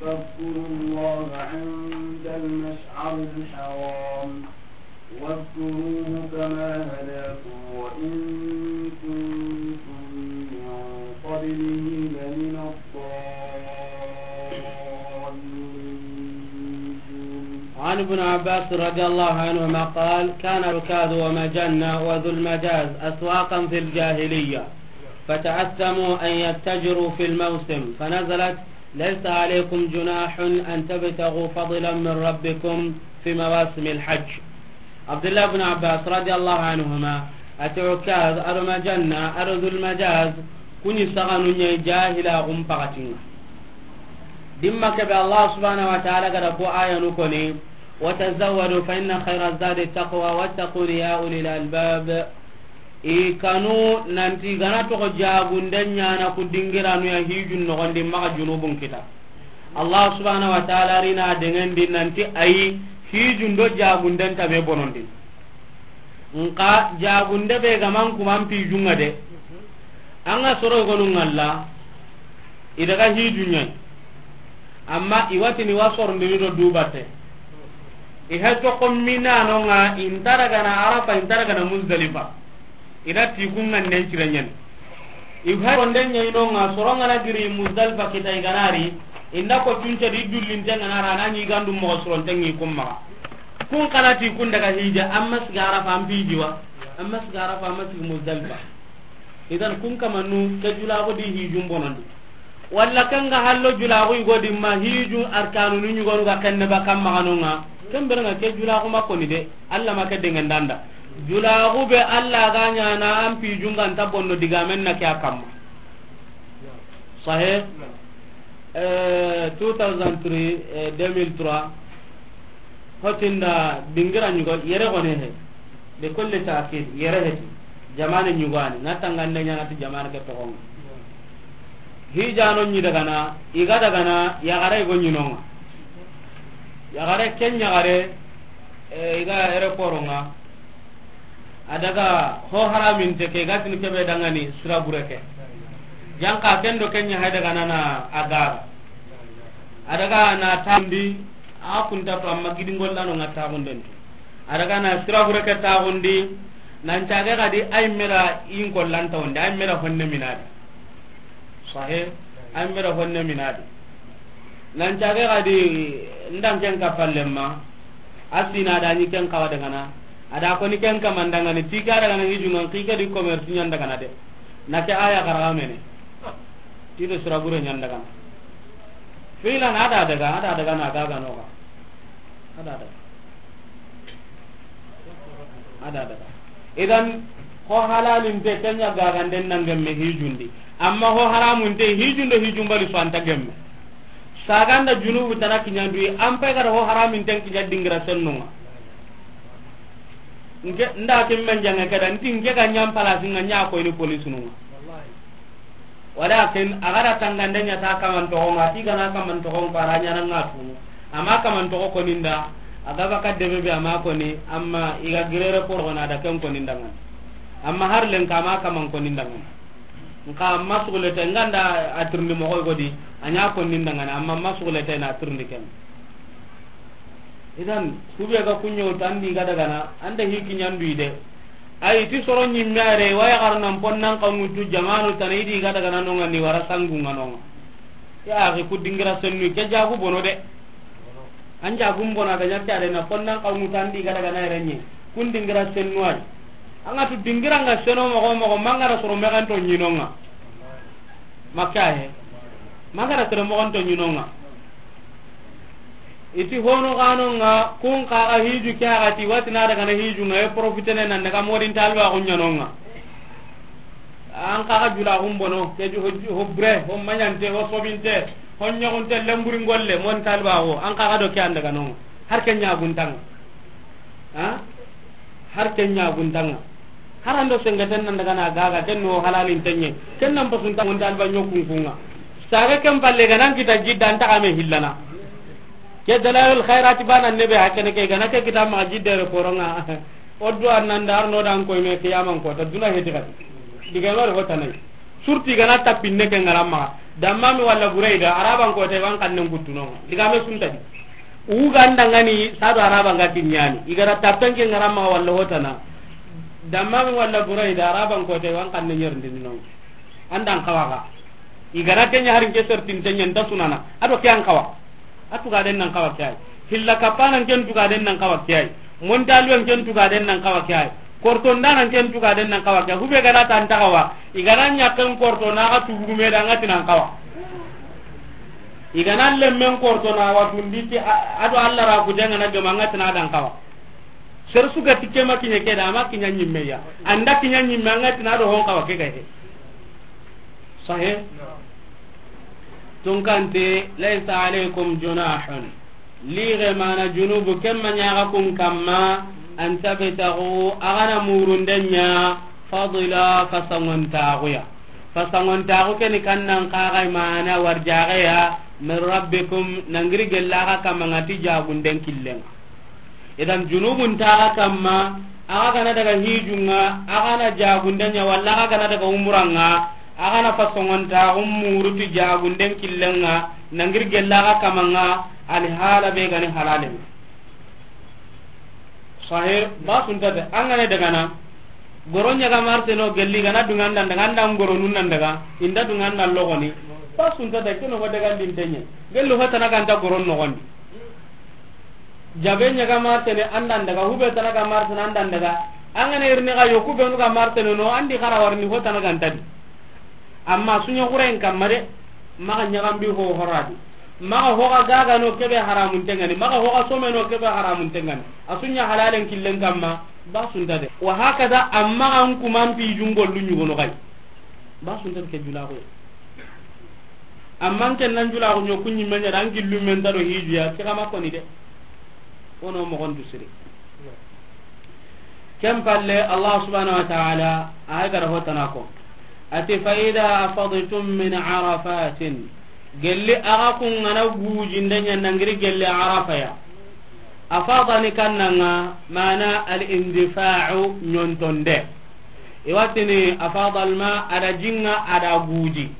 فاذكروا الله عند المشعر الحرام، واذكروه كما هداكم وإن كنتم من قبله لمن الضالين. وعن ابن عباس رضي الله عنهما قال: كان عكاظ ومجنة وذو المجاز أسواقا في الجاهلية، فتأثموا أن يتجروا في الموسم، فنزلت: ليس عليكم جناح أن تبتغوا فضلا من ربكم في مواسم الحج. Abdullah ibn Abbas radiyallahu anhuma ati Ukaz ado Majanna ado Dhul Majaz kuni saganu ɲa jahila gum pakatinga. Dimma kebe Allah subhanahu wa ta'ala gada ko ayanu koni: وتزودوا فإن خير الزاد التقوى واتقون يا أولي الألباب. I kanu nanti gana toxo jagunde ɲana ku dingiranu ya hijun noxondi maxa junubun kita. Allah subhanahu wa ta'ala rina dengendi nanti ayi hijun do jagunden tabe bonondi. Nka jagunde be gaman kuman pijunga de. Anga soro gonu ngalla. I daga hiju ɲai. Amma i watini wa sorondini do dubate. I ha toxo minanonga intara gana Arafa intara gana Muzdalifa. Ina ti kunga nden cire ɲani. I ha ronde ɲai nonga soronga na giri Muzdalifa kita i ganari. Inda ko cunce di dullinte ngana rana ni gandu mo soronte ngi kumma. Kun kana ti kun daga hija amma siga Arafa an pijiwa. Amma siga Arafa amma siga Muzdalifa. Idan kun kamannu ke julaxu di hijun bonondi. Walla kanga hallo julaxu i godi ma hijun arkanunu ɲugonu ga kenne ba kam maxanonga. Ken berenga ke julaxu ma koni de. Alla ma ke dengendanda. Julaxu be Alla ga ɲana an pijunga nta bonno digamen na ke a kamma. Sahe. Eh, two thousand three, eh, deux mille trois. Hotinda dingira ɲugo yere gone he. De kolle ta ke yere he. Jamane ɲugani na tangande ɲana ti jamane ke toxonga. Hijano ɲi dagana iga dagana yagare go ɲinonga. Yagare ken yagare, eh, iga aéroport nga. A daga ho haraminte ke ga tini kebe dangani sira bureke. Janka ken do kenya hay daga nana agara. A daga na tambi a kunta to amma gidi ngollano nga taxunden to. A daga na sira bureke taxundi nan cage gadi ay mera in kollanta wonde ay mera honne minadi. Sahe. Ay mera honne minadi. Nan cage gadi ndan ken kapallemma. Asina da ni ken kawa dagana. Ada ko ni ken kamandangani tika dagana hijungan kike di commerce ɲan dagana de. Na ke aya karaga mene. Tido sura bure ɲan dagana. Filan ada daga ada daga na gaga noga. Ada daga. Ada daga. Idan ho halalinte kenya gaganden nan gemme hijundi. Amma ho haramunte hijundo hijumbali so anta gemme. Saganda junubu tana kiɲanduyi an pay gada ho haraminten kiɲa dingira sennunga. Nke nda kin men jange kada nti nke ga ɲam palasi nga ɲa koyni police nunga. Walakin a gara tangande ɲa ta kaman toxo nga ti gana kaman toxo nga para ɲana nga tunu. Amma kaman toxo koninda a gaba ka debe be amma koni amma iga girere poro na da ken koninda nga. Amma har len kama kaman koninda nga. Nka amma sugulete nganda a tirndi moxoy godi a ɲa konni ndangana amma amma sugulete na tirndi ken. Idan kube ga kuɲo tandi ga dagana anda hiki ɲandu ide. Ay ti soro ɲimme are waya garnan ponnan kawutu jamanu tana idi ga dagana nonga ni wara sangu nga nonga. Ya axi ku dingira sennu ke jagu bono de. An jagum bona ga ɲakke are na fonnan kawutu andi ga daga na renye. Kun dingira sennu ay. Anga tu dingira nga seno mogo mogo mangara soro meganto ɲinonga. Makka he. Mangara soro mogonto ɲinonga. I ti hono xanonga, kun xaxa hiju ke axati, wati na daga na hijunga, e profitene nan daga modin talba xunɲanonga. An xaxa jula xumbono, ke ju ho, ho bre, ho maɲante, ho sobinte, ho ɲoxunte, lemburi ngolle, mon talba xo, an xaxa do ke an daga nonga. Har ke ɲaguntanga. Ha? Har ke ɲaguntanga. Har an do sengeten nan daga na gaga, ken no halalin tenye. Ken nan pasunta mon talba ɲokun kunga. Saga ken palle ga nan kita jidda an taxa me hillana. Ke Dalailul Khairati bana nebe hakene ke gana ke kita ma jidde re koronga. Oddo annan dar no dan koy me kiyaman ko ta duna heti kati. Diga mari hotanai. Surti gana tapinne ke ngaramma. Dammami walla Burayda, Araban ko te wan kannen guttuno. Diga me suntadi. Uganda ngani sado Araba nga kinyani. Igara tapen ke ngaramma walla hotana. Dammami walla Burayda, Araban ko te wan kannen yerndinno. Andan kawaga. Igara kenya harin ke sertin tenya nta sunana. Ado ke an kawa. A tugaden nan kawa ke ay. Hilla kapanan ken tugaden nan kawa ke ay. Montaluwen ken tugaden nan kawa ke ay. Kortondanan ken tugaden nan kawa ke ay. Hube gana tan tagawa. Igana ɲaken korto na ga tugurume da ngati nan kawa. Igana lemmen korto na watundi ti a-, ado Allah ra kujanga na gama ngati na dan kawa. Sere su ga ti ke ma kiɲe ke da, a ma kiɲa ɲimme ya. An da kiɲa ɲimme, an ga ti na do hon kawa ke ga he. Sahe? Tunkante, laysa alaykum junahun. Lixe mana junubu ke ma ɲaga kun kamma, an tabtagu, a ga na murunde ɲa, fadla, fasangontaxu ya. Fasangontaxu ke ni kannan kaxay mana warjaxe ya, min rabbikum, nangiri gella xa kamma nga ti jagunden killenga. Idan junubun taxa kamma, axa gana daga hijunga, axa na jagunden ɲa, walla axa gana daga umuranga, axa na fasongontaxun muruti jagunden killenga, nangiri gella axa kamanga, alihala be gani halalen. Sahe, ba suntate, an gana daga na, goro ɲaga marteno gelli gana dungan dan daga, andan goro nun nan daga, inda dungan dan logoni, ba suntate, keno go daga dintenye, gelli hotana ganta goron nogondi. Jabe ɲaga martene andan daga, hube tana ga martene andan daga. An gana irini ga yoku benu ga martene no, andi xara warni ho tana gantadi. Amma suɲa xuren kamma de, maxa ɲagambi ho horadi. Maxa hoxa gaga no kebe haramun tengani, maxa hoxa some no kebe haramun tengani. A suɲa halalen killen kamma, ba sunta de. Wa hakada, amma an kuman pi jungollu ɲugono xay. Ba sunta ke julaxo. Amma ken nan jula ko ɲoku ɲimme ɲa dan gillu men taro hijuya ke kama koni de. Wono moxon tu siri. Ken palle Allah subhanahu wa ta'ala ay gara hotana ko. Ati fa idha afadtum min arafatin. Gelli axa kun gana gujinde ɲa nangiri gelli Arafa ya. Afada ni kannanga mana al indifa'u ɲontonde. Iwatini afada alma ada jinga ada guji.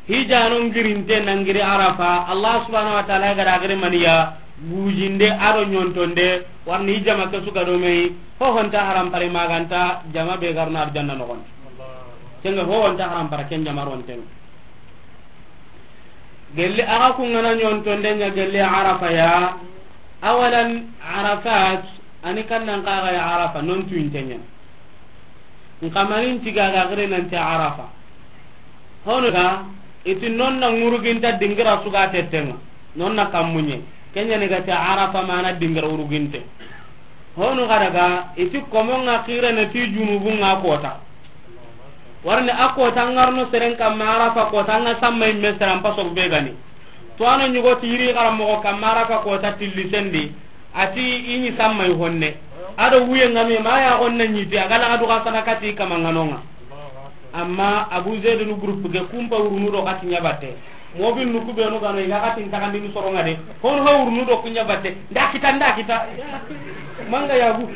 Hijano ngirinte nangiri Arafa, Allah subhanahu wa ta'ala ga da giri maniya, gujinde ado ɲontonde, warni hijama ke suga do mei, ho honta haram pare maganta, jama be garna arjanna nogon. Kenga ho honta haram pare ken jama ronten. Gelli axa kun gana ɲontonde ɲa gelli Arafa ya, awalan Arafat, ani kannan kaga ya Arafa, non tuinte ɲa. Nkamanin tiga ga gire nanti Arafa. Hono ga, iti nonna nguruginta dingira suga tettenga. Nonna kammunye. Kenya ni gati Arafa mana dingira uruginte. Hono ga daga, iti komonga kire na ti junubunga kota. Warni a kota ngarno seren kamma Arafa kota nga samma imme seran paso be gani. To ano nyugo tiri gara mo kamma Arafa kota tilli sendi. Ati ini samma i honne. Ado wuye ngami ma ya honne nyiti agala adu ga sana kati kama nganonga. Amma Abu Zaid nu groupe ke kumpa urunu do kati ɲa batte. Mobil nu kubenu gano iga kati ntakandi ni soronga de. Hon ho urunu do kunya batte. Nda kita, nda kita. Manga yagu.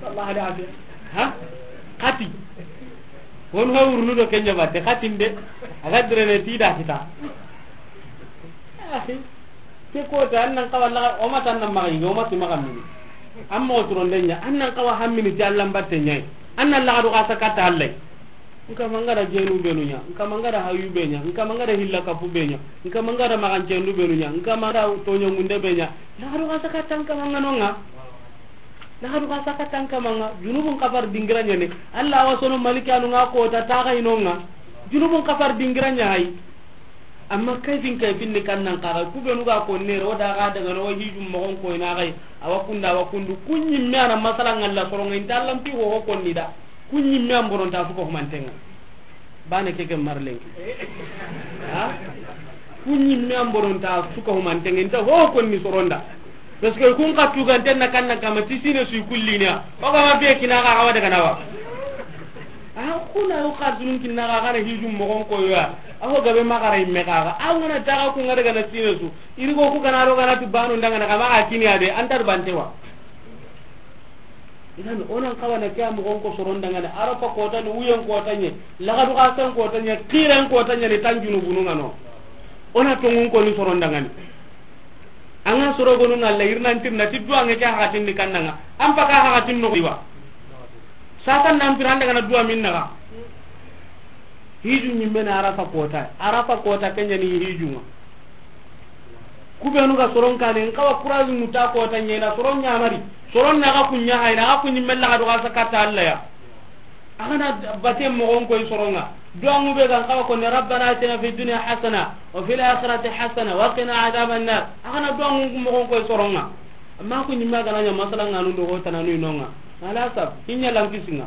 Allah da afiya. Ha? Kati. Hon ho urunu do kenya batte. Kati nde. Aga drene ti da kita. Akhi. Ke kota, an nan kawa laga, o ma tan nan maga yige, o ma ti maga mini. Amma o turonde ɲa, an nan kawa hammini ti Allah mbatte ɲai. An nan laga do kasa katta Allah. Nka mangara jenu benu ɲa, nka mangara hayu be ɲa, nka mangara hilla kapu be ɲa, nka mangara magancendu benu ɲa, nka mangara toɲo munde be ɲa. Laga do kasa katta nka manganonga. Laga do kasa katta nka manga. Junubun kafar dingira ɲa ne. Allah wasono malikanu nga kota taga inonga. Junubun kafar dingira ɲa hay. Amma kayfin kayfin ni kan nan kaga, ku benu ga konni, o da ga daga no hijun mogon ko ina gai, awa kunda, awa kundu, ku ɲimme a na masala ŋalla soronŋa, inta Alla nti ho ho konni da, ku ɲimme an boronta su ko humantenŋa. Bane ke ke marlenki. Ha? Ku ɲimme an boronta su ko humantenŋa, inta ho ho konni soronda. Parce que kun ka tuganten na kan na kama ti sine su kullinya. O ga ma be kina ga wa daga na wa. A kuna o ka sunun kinna ga kana hijun mogon ko ya. A ho gabe magara imme ga ga. A ngana daga ku ngada gana sine su. Iri go ku gana ro gana tu banu ndanga na kama ga kini ade antar bantewa. Idan onan kawana ke a mogon ko soron dangane, Arafa kota ni, wuyen kota nye, lagadu kasan kota nye, kiren kota nye, ni tan junubunu ngano. Ona tongun ko ni soron dangane. Anga soro gonu ngalla irnan tirna ti duwa nge ke hakatin ni kannanga. An paka hakatin no iwa. Satan nan piranda kana duwa minna ga. Hiju nyimme na Arafa kota. Arafa kota kenya ni hijunga. Ku benu ga soron kane, n kawa kurazi muta kota nye na soron nyamari. Soron na ga kunya hayna, ga kunyi mella ga do ga sakata Alla ya. Agana bate mogon koy soronga. Duwangu be ga n kawa ko ne, "Rabbana atina fid dunya hasana, wa fil akhirati hasana, wa qina adhaban nar." Agana duwangu mogon koy soronga. Amma kunyi ma gana nya masala nganu do ko tananu inonga. Ala sab, hinya lankisinga.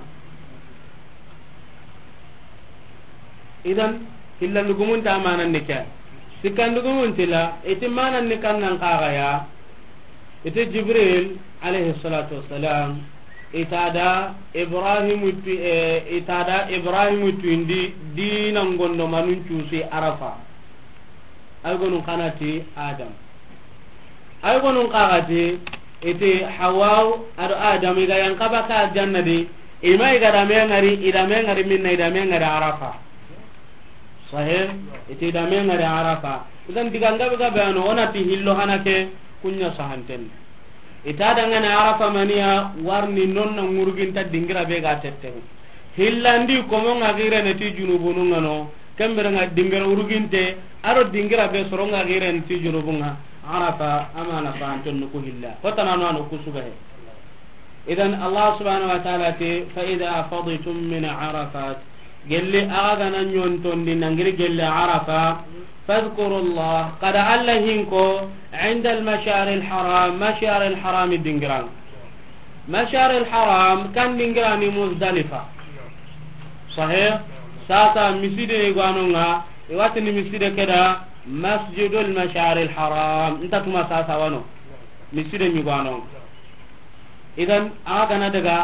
Idan, hillandugumun ta manan ni ke. Sikkandugumun tila, iti manan ni kannan kaga ya. Iti Jibril, alayhi salatu wassalam, ita da Ibrahim tu, eh, ita da Ibrahim tu indi dina ngondo manun cusi Arafa. Ay gonun kanati Adam. Ay gonun kagati, iti Hawaw ado Adam iga yan kaba ka aljanna di, ima iga dame ngari, idame ngari minna, idame ngari Arafa. Sahih, iti idame ngari Arafa. Idan diga ngabe gabe ano, onati hillo hanake, kunya sahanten. Ita dangane Arafa maniya, warni nonna ngurginta dingira be ga tette. Hillandi komo nga gire ne ti junubunu ngano, kembere nga dingira uruginte, aro dingira be soro nga gire ne ti junubunga, Arafa amana fanton nuku hilla. Hotana no ano kusuga he. Idan Allah subhanahu wa ta'ala te, "Fa idha afadtum min Arafat." Gelli aga gana nyontondi nangiri gelli Arafa, "Fadhkurullah," kada Alla hinko, "inda al-mash'ar al-haram," mash'ar al-haram dingirang. Mashar al-Haram kan dingirani Muzdalifa. Sahih? Sasa miside ni gwanonga, iwatini miside keda Masjidul Mashar al-Haram. Nta tuma sasa wano. Miside ni gwanonga. Idan, aga gana daga,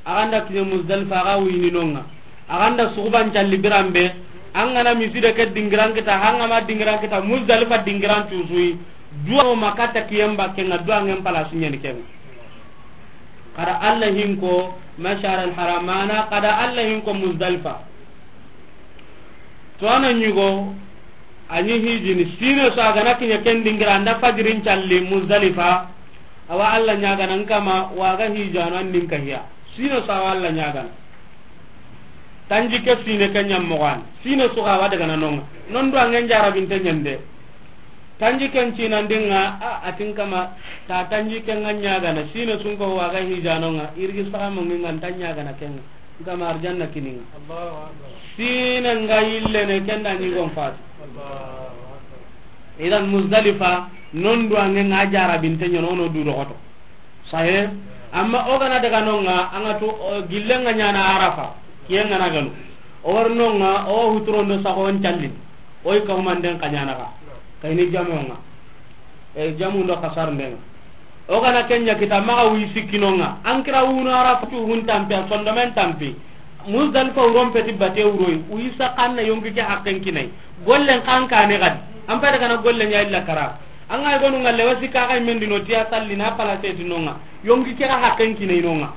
aganda kine Muzdalifa, aga wini nonga. Aganda suguban calli birambe, angana miside ke dingiran kita, hangama dingiran kita, Muzdalifa dingiran tusui. Duwa makata kiyemba kenga, duwa ngen palasu nyani kenga. Kada Alla hinko Mashar al-Haram mana, kada Alla hinko Muzdalifa. To ana nyugo, anyi hijini, sino so agana kinya ken dingira, anda fajirin calli Muzdalifa, awa Alla nyagana nkama, waga hijano an ninka hiya. Sino so awa Alla nyagana. Tanji ke sine ke nyammogan. Sino so ga wa daga na nonga. Non do angen jarabinte nyande. Tanji ken cinandinga, a, atin kama, ta tanji ken nga nyagana, sino sunko waga hijanonga, irgi saga mongi nga nta nyagana kenga. Nkama arjanna kininga. Allahu Akbar. Sine nga yille ne kenda ni gon fat. Allahu Akbar. Idan Muzdalifa, non do angen nga jarabinte nyono no du dogoto. Sahe, amma o gana daga nonga, anga to, o, gillenga nyana Arafa, kiyenga na ganu. O war nonga, o huturondo sago on callin. Oy ka humanden ka nyana ka. Kayni jamonga. E, jamu ndo kasar ndenga. O gana kenya kita maga wi sikkinonga. Ankira wuno Arafa tu hun tampi, a sondomen tampi. Muzdalifa uron peti bate uroi, uyisa kanna yonki ke hakken kinai. Gollen kan kane gadi. An pede kana gollen ya illa kara. Anga gonu ngalle wasi ka ga mendino tiya salli na pala seti nonga. Yonki ke ga hakken kinai nonga.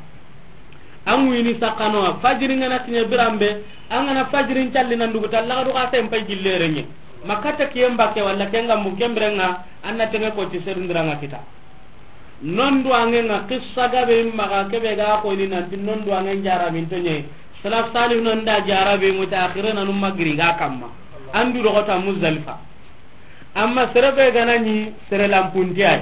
An wini sakano fajiri ngana kinya birambe, angana fajirin calli nan dugu talla ga do ka sen pay gillerenye. Makata kiyemba ke walla kenga mu kembrenga, anna tenge ko ti serindira nga kita. Non duwange nga qissa gabe maga kebe ga ko ni nanti non duwange jara min tonye. Salaf salih non da jara be mutaakhirin anu magri ga kamma. Andu do kota Muzdalifa. Amma sere be ganani sere lampunti ay.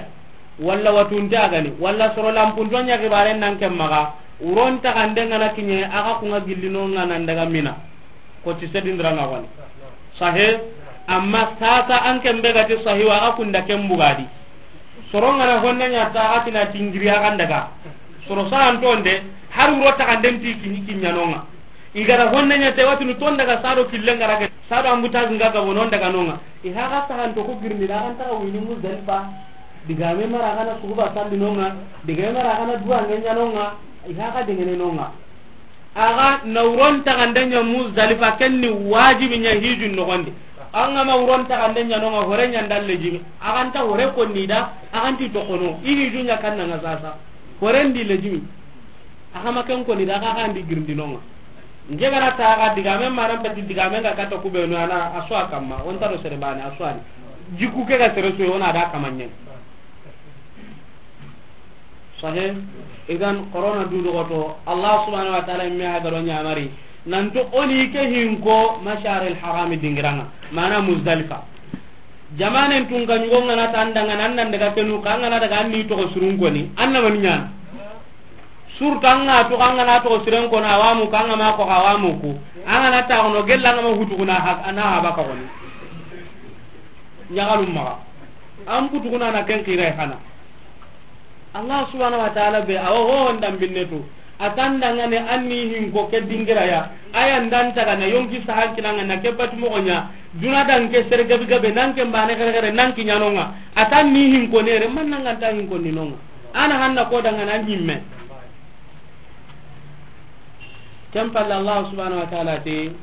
Walla watunti agani. Walla soro lampunto nya gibaren nan kem maga. Uron ta kande ngana kinye aga kunga gillino ngana daga mina. Ko ti sedindira nga wani. Sahe. Amma sasa an ken be ga ti sahiwa, a ga kunda ken bugadi. Soro ngana honne ɲa ta, a ga tina tingiri a ga ndaga. Soro sa an tonde, har wuro taxanden ti kiɲi kiɲanonga. I gara honne ɲa te, watinu ton daga sado killen gara ke, sado ambuta zinga ga bonon daga nonga. I haga sahan to ku girni da an taga wini Muzdalifa. Digame mara kana suguba salli nonga. Digame mara kana duwa ngenya nonga. I haga dingene nonga. Aga na wuron taxande ɲa Muzdalifa, ken ni wajibi ɲa hijun noxondi. An ga ma wuron taxande ɲa nonga, hore ɲa nda lejimi. Axa nta hore konni da, axa nti toxono. I hiju ɲa kanna nga sasa. Hore ndi lejimi. Axa ma ken konni da, axa ndi girindinonga. Nge gara ta axa digame maran peti digame nga kata kubenu ana aswa kamma. Onta do sere bane aswani. Jiku ke ga sere suwe ona da kamanye. Sahih. Idan, corona du dogoto, Allah subhanahu wa ta'ala me ha garo ɲamari. Nanto oni ke hinko Mashar al Haram dingiranga, mana Muzdalifa. Jamanen tun ga ɲugo ngana tandanga nan nan daga kenu ka ngana daga anni to surun koni, anna man ɲana. Surta nga to ngana to siren kona awamu ka ngama ko awamu ku. Angana ta kono gella ngama hutu kuna ha, ana ha baka koni. Ɲagalum maxa. An putuguna na ken xiray xana. Allah subhanahu wa ta'ala be, awa ho ndam binnetu. A tan dangane anni hinko ke dingira ya. Aya ndan taga na yonki sahan kinanga na ke batu moxo ɲa. Duna dan ke sere gabi gabe nan ke mbane gare gare nan kiɲanonga. A tan ni hinko nere man nan ganta hinko ni nonga. Ana hanna ko dangana nyimme. Ken palle Allah subhanahu wa ta'ala ti,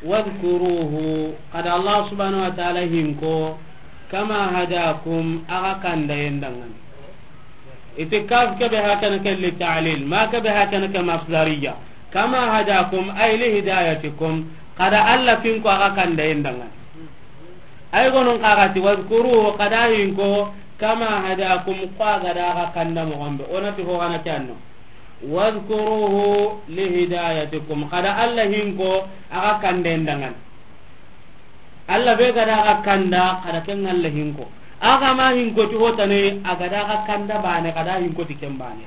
"Wadhkuruhu," kada Allah subhanahu wa ta'ala hinko, "kama hadakum," aga kanda yendangani. Iti kaf kebe hakana ke li ta'lil, ma kebe hakana ke masdariya. "Kama hadakum," ay li hidayatikum, kada Allah finko aga kanda yendangani. Ay gonun kaga ti, "Wadhkuruhu," kada hinko, "kama hadakum," kwa gada aga kanda mo gombe. Onati ho gana ke anno. "Wadhkuruhu lihidayatikum." Kada Allah hinko, aga kanden dangan. Allah be gada aga kanda, kada ken Allah hinko. Aga ma hinko ti hotane, aga da aga kanda bane, kada hinko ti ken bane.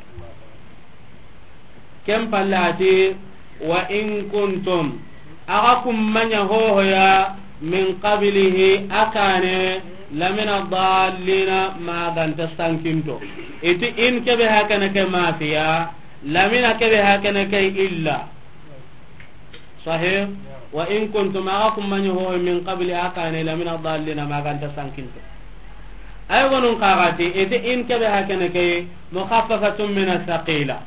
Ken palle ati, "Wa in kuntum," aga kummanya hohoya, "min qablihi," akane, "lamina dallina," maganta sankinto. Iti in kebe hakana ke mafiya, lamina kebe hakana ke illa. Sahih? "Wa in kuntum," aga kummanya hohoya, "min qabli," akane, "lamina dallina," maganta sankinto. Ay gonun kagati, iti in kebe hakana ke, mukhaffafatun min athqila.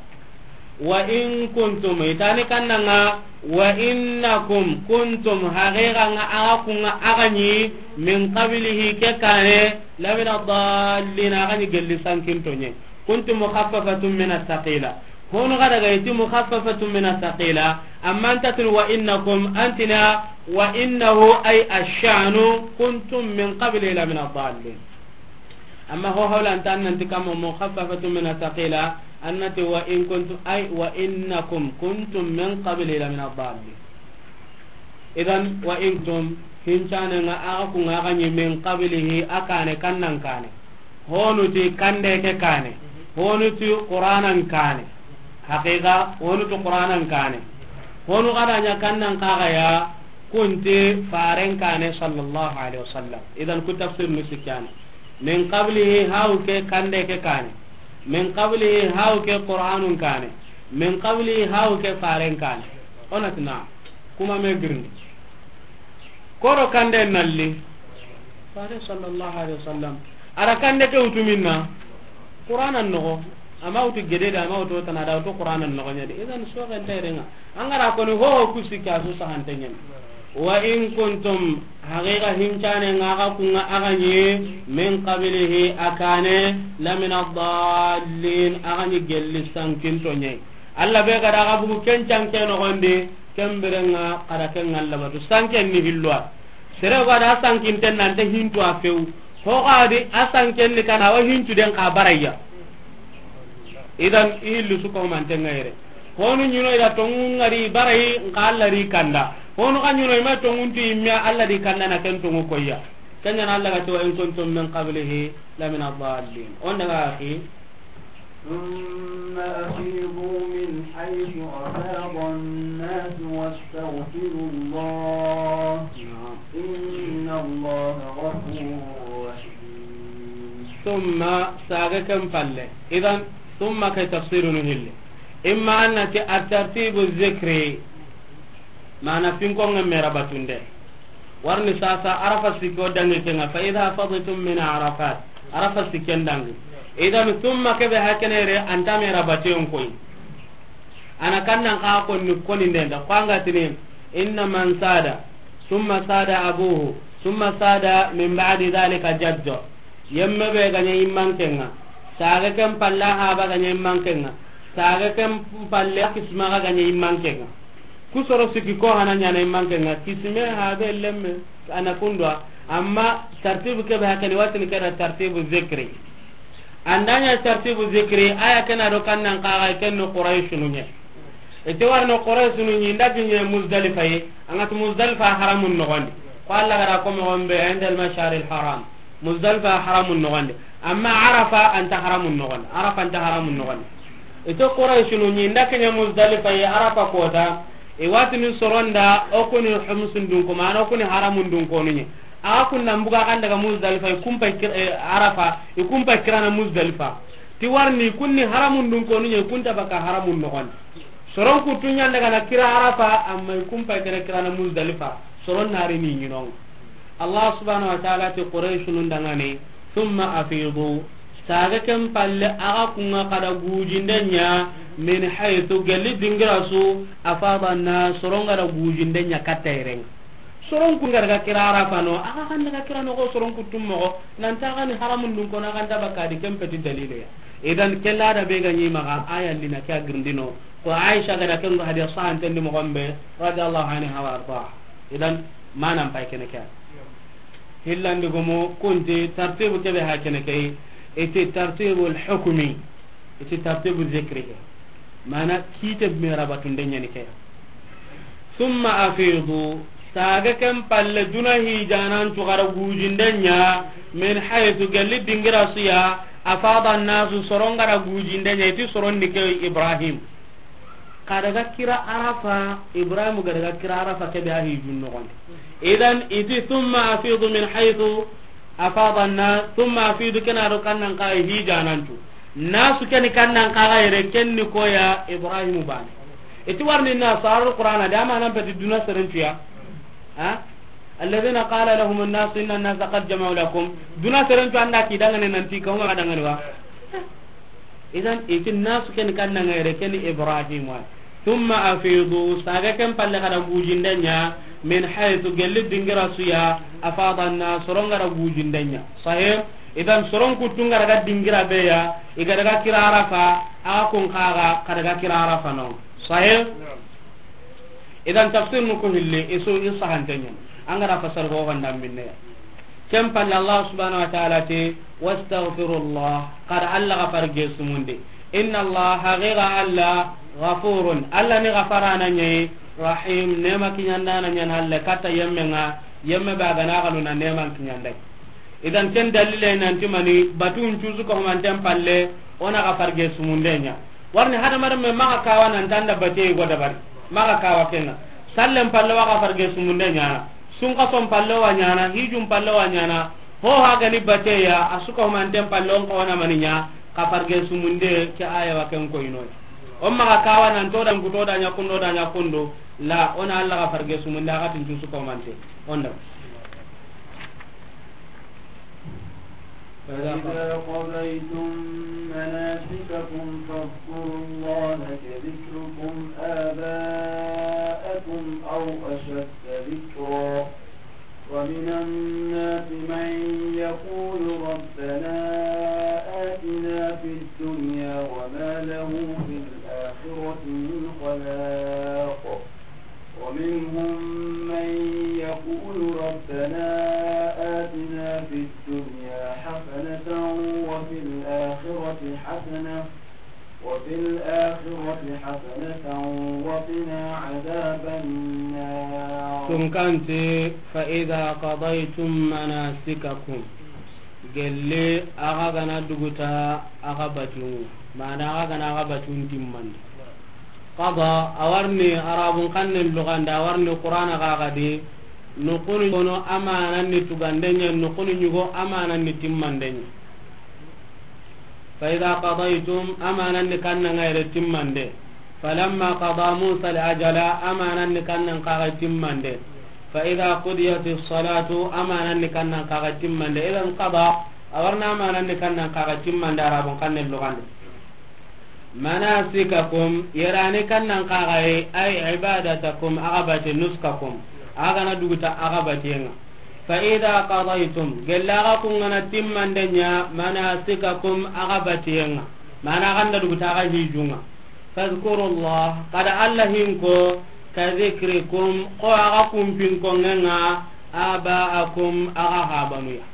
"Wa in kuntum," itani kannanga, "wa innakum kuntum," haqiqa nga aga kunga aga ni, "min qablihi," ke kane, "lamina dallin," aga ni gelli sankinto nye. Kuntum mukhaffafatun min athqila. Honu gada ga iti mukhaffafatun min athqila, amma antatun wa innakum antina, wa innahu ay ashanu kuntum min qablihi lamina dallin. Amma ho hawla anta annanti kama mukhaffafatun min athqila, annati wa in kuntum, ay wa innakum kuntum min qabli lamina dallin. Idan wa in kuntum, hincane nga aga kunga aga ni min qablihi, akane kannan kane. Honu ti kande ke kane. Honu ti Qur'anan kane. Haqiqa, honu ti Qur'anan kane. Honu gada nya kannan kaga ya, kunti faren kane sallallahu alaihi wasallam. Idan ku tafsir ni sikane. Min qablihi, haw ke kande ke kane. Min qablihi, haw ke Qur'anun kane. Min qablihi, haw ke faren kane. Onati na, kuma me girni. Koro kande nalli. Fare sallallahu alaihi wasallam. Ara kande ke utu minna. Qur'anan nogo. Ama utu gede da, ama utu tana da, utu Qur'anan nogo nyadi. Idan so kan tayrenga. Angara koni ho ho kusika su sahantenyen. Wa in kuntum, haqiqa hincane nga aga kunga aga ni, min qablihi, akane, lamina dallin, aga ni gelli sankinto nye. Allah be gada aga bugu ken canke nogondi, ken birenga kada ken Allah batu. Sanken ni hilloa. Sere gada sankinten nante hintu a few. Ho gadi a sanken ni kana wa hintu den ka baraya. Idan i hillu su ko manten ngayre. Honu nyuno ida tongu ngari barai nka Allah ri kanda. Honu ka nyuno ima tongu nti imya Allah di kanda na ken tongu koya. Kenya na Allah ga to in kuntum min qablihi lamina dallin. Onda ga akhi. ثم أفيضوا من حيث أفاض الناس واستغفروا الله. نعم. إن الله غفور رحيم. Summa, saage ken palle. Idan, summa ke tafsiru nu hilli. Imma an na ti at-tartibu zikri. Maana finkonŋe me ra batunde. Warni sasa Arafa sikki o dangi kenŋa, fa idha afadtum min Arafat. Arafa sikken dangi. Idan, summa ke be hakene yere, an ta me ra baten koyi. A na kannan xa konni, konni ndenda. Ko an ga tini, inna man sada, summa sada abuhu, summa sada min ba'di dhalika jaddo. Yemme be ga ɲa i mankenŋa. Saage ken palle a haaba ga ɲa i mankenŋa. Saage ken palle a kisima ga ɲa i mankenŋa. Ku soro sikki ko hana ɲaana i mankenŋa. Kisime, haabe, lemme, a na kundu wa. Amma tartibu ke be hakene, wa tini ke da tartibu zikri. An da ɲa tartibu zikri, a ya ke na do kannan xa ga, ken ni Qurayshinu ɲa. I ti warni Qurayshinu ɲi, i nda kiɲe Muzdalifa yi, an ga ti Muzdalifa haramun noxondi. Ko Alla ga da ko moxo be, inda al-mash'aril haram. Muzdalifa haramun noxondi. Amma Arafa a nta haramun noxondi. Arafa a nta haramun noxondi. I ti Qurayshinu ɲi, i nda kiɲe Muzdalifa yi, Arafa kota, i wa tini soron da, o ku ni humsun dunko, maana o ku ni haramun dunkonu ɲa. Axa kun na mbuga kan daga Muzdalifa, i kun pay kir-, eh, Arafa, i kun pay kirana Muzdalifa. Ti warni kun ni haramun dunkonu ɲa, i kun ta baka haramun noxondi. Soron kuttu ɲa n daga na kira Arafa, amma i kun pay kira kirana Muzdalifa. Soron na ri ni ɲinonŋa. Allah subhanahu wa ta'ala ti Qurayshinu ndangani, thumma afidu. Saage ken palle axa kunŋa xa da gujinde ɲa, min haythu, gelli dingira su, afada an-nas, soron ga da gujinde ɲa katta yere ŋa. Soron kun ga daga kira Arafa no, axa xa n daga kira noxo soron kuttu moxo, nan ti axa ni haramun dunkonu, axa nta baka di, ken peti dalile ya. Idan, ke la da be ga ɲi maxa, a ya lina ke a girindino. Ko Aisha ga da ken go hadiya sahanten di moxo be, radiyallahu anha wa ardaha. Idan, manan pay kene ke. Hillandi gomo, kunti tartibu ke be hakene ke, i ti tartibul hukmi, i ti tartibu zikri ke. Maana kiite me ra batunde ɲa ni ke. Thumma afidu, saage ken palle duna hijanan cu xa da gujinde ɲa, min haythu, gelli dingira su ya, afada an-nasu, soron ga da gujinde ɲa, i ti soron ni ke Ibrahim. Xa daga kira Arafa, Ibrahim ga daga kira Arafa ke be a hijun noxondi. Idan, i ti thumma afidu min haythu afada an-nas, thumma afidu ke na do kannan xa hijanan cu. Nasu ke ni kannan xa ga yere, ken ni ko ya Ibrahimu baane. I ti warni nasu, a ro Qur'ana da, manan peti duna seren cu ya. Ha? Alladhina qala lahum an-nas inna an-nasa qad jama'u lakum. Duna seren cu an da ki dangane nan ti ka huma ga dangane wa. Idan, i ti nasu ke ni kannan xa yere, ken ni Ibrahimu wa. Thumma afidu, saage ken palle xa da gujinde ɲa, min haythu, gelli dingira su ya, afada an-nas, soron ga da gujinde ɲa. Sahih? Idan, soron kuttu ga daga dingira be ya, i ga daga kira Arafa, axa kun xa ga xa daga kira Arafa no. Sahih? Idan, tafsir nu ku hilli, i su, i sahanten ɲa ni. An ga da fasar go ganda minne ya. Ken palle Allah subhanahu wa ta'ala ti, wastaghfirullah, xa da Alla gafar ge sumundi. Inna Allah, haqiqa Alla, ghafurun, Alla ni gafarana ɲa yi, rahim, nema kiɲandana ɲa ni Alla, katta yemme ŋa, yemme be a ga na xanu na neman kiɲanda. Idan ken dalile nan ti mani, batun cusu ko manten palle, o na gafar ge sumunde ɲa. Warni hadamaren me maxa kawa nan tanda bate go dabari. Maxa kawa kenŋa. Sallen palle wa gafar ge sumunde ɲana. Sunkason palle wa ɲana, hijun palle wa ɲana. Ho ha ga ni bate ya, a su ko manten palle on ko na mani ɲa, gafar ge sumunde ke aya wa ken ko ino. O maxa kawa nan to dan ku to da ɲa kundo da ɲa kundo. La, o na Alla gafar ge sumunde a ga tun cusu ko mante. Onda. فإذا قضيتم مناسككم فاذكروا الله كذكركم آباءكم أو أشد ذكرا، ومن الناس من يقول ربنا آتنا في الدنيا وما له في الآخرة من خلاق. ومنهم من يقول ربنا آتنا في الدنيا حسنة وفي الآخرة حسنة، وفي الآخرة حسنة وقنا عذاب النار. Tunkanti, فإذا قضيتم مناسككم. Gelli axa ga na duguta axa batun, maana axa ga na axa batun timmandi. Qada, a warni Arabun xannen luganda, a warni Qur'ana ga ga di, Noqunu ɲugo amanan ni tugande ɲa, noqunu ɲugo amanan ni timmande ɲa. Fa idha qadaytum, amanan ni kannan ŋa yere timmande. Falamma qada Musa al-ajala, amanan ni kannan kaga timmande. Fa idha qudiyatis salatu, amanan ni kannan kaga timmande. Idan qada, a wa riini amanan ni kannan kaga timmande, Arabun xannen lugande. Manasikakum, yere ni kannan kaga yi, ay ibadatakum, a ga bate nusukakum, a ga na duguta a ga bateyen ŋa. Fa idha qadaytum, gella a ga kun ga na timmande ɲa, manasikakum, a ga bateyen ŋa, mana a ga na duguta a ga hijun ŋa. Fadhkurullah, xa da Alla hinko, ka dhikrikum, xo a ga kun pinkonŋen ŋa, abaakum, a ga habanu ya.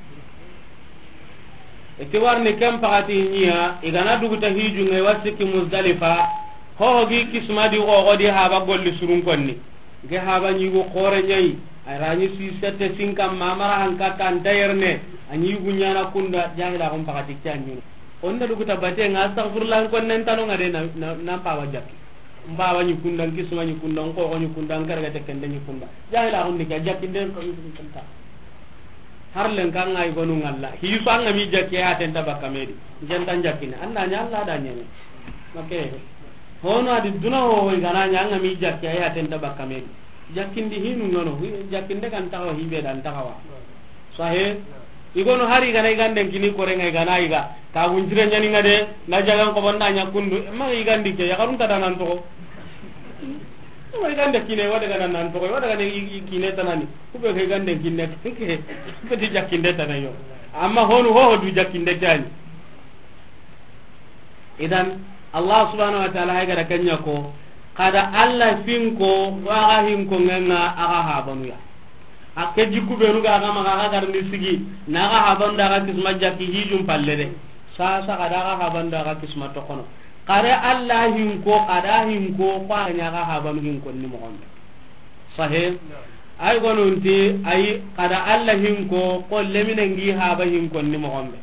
I ti wa riini ken paxati ɲa ya, i ga na duguta hijun ŋa, i wa sikki Muzdalifa, ho ho gi kisma di xoxo di haba golli surun konni. Nke haba ɲi yugu xoore ɲa yi, a ra ɲi si sette sinka mamara hanka ta nta yerene, a ɲi yugu ɲaana kunda, jahila xon paxati ke a ɲi no. O nda duguta bateyen ŋa, astaghfirullah, n konnen tano ŋa de na, na, na n pawa jakki. N bawa ɲi kunda, n kisma ɲi kunda, n xoxo ɲi kunda, n karagate kende ɲi kunda. Jahila xon ni ke jakkinde n ko n ta. Har len kan ŋa i gonu ŋalla. Hi su an ga mi jakki ya tenta bakka me di. N ken ta jakkine. An na ɲa Alla da ɲene. Make. Hono a di duna ho ho i ga na ɲa an ga mi jakki ya tenta bakka me di. Jakkindi hinu ŋa no. Jakkinde kan taxawa hibe dan taxawa. Sahe. I gono hari i ga na i ganden kini kore ŋa i ga na i ga. Ka gunjire ɲani ŋa de, na jagan ko banda ɲa kundu. Ma i gandi ke, ya karun ta danan to. Wa i gande kine, wa daga nan to, wa daga ne i, i kine tanani. Ku be ke gande kine, ke, ke ti jakkinde tana yo. Amma honu ho, ho du jakkinde tani. Idan, Allah subhanahu wa ta'ala hay gara kanya ko, xa da Alla hinko, wa ga hinkonŋen ŋa a ga habanu ya. A ke jikku benu ga ga maxa ga garni sigi, na ga habanu da ga kisma jakki hijun palle de. Sa, sa xa da ga habanu da ga kisma toxono. Xa da Alla hinko, xa da hinko, xo a ɲa ga habanu hinkon ni moxon be. Sahe? Ay gonunti, ay xa da Alla hinko, xo leminen gi haba hinkon ni moxon be.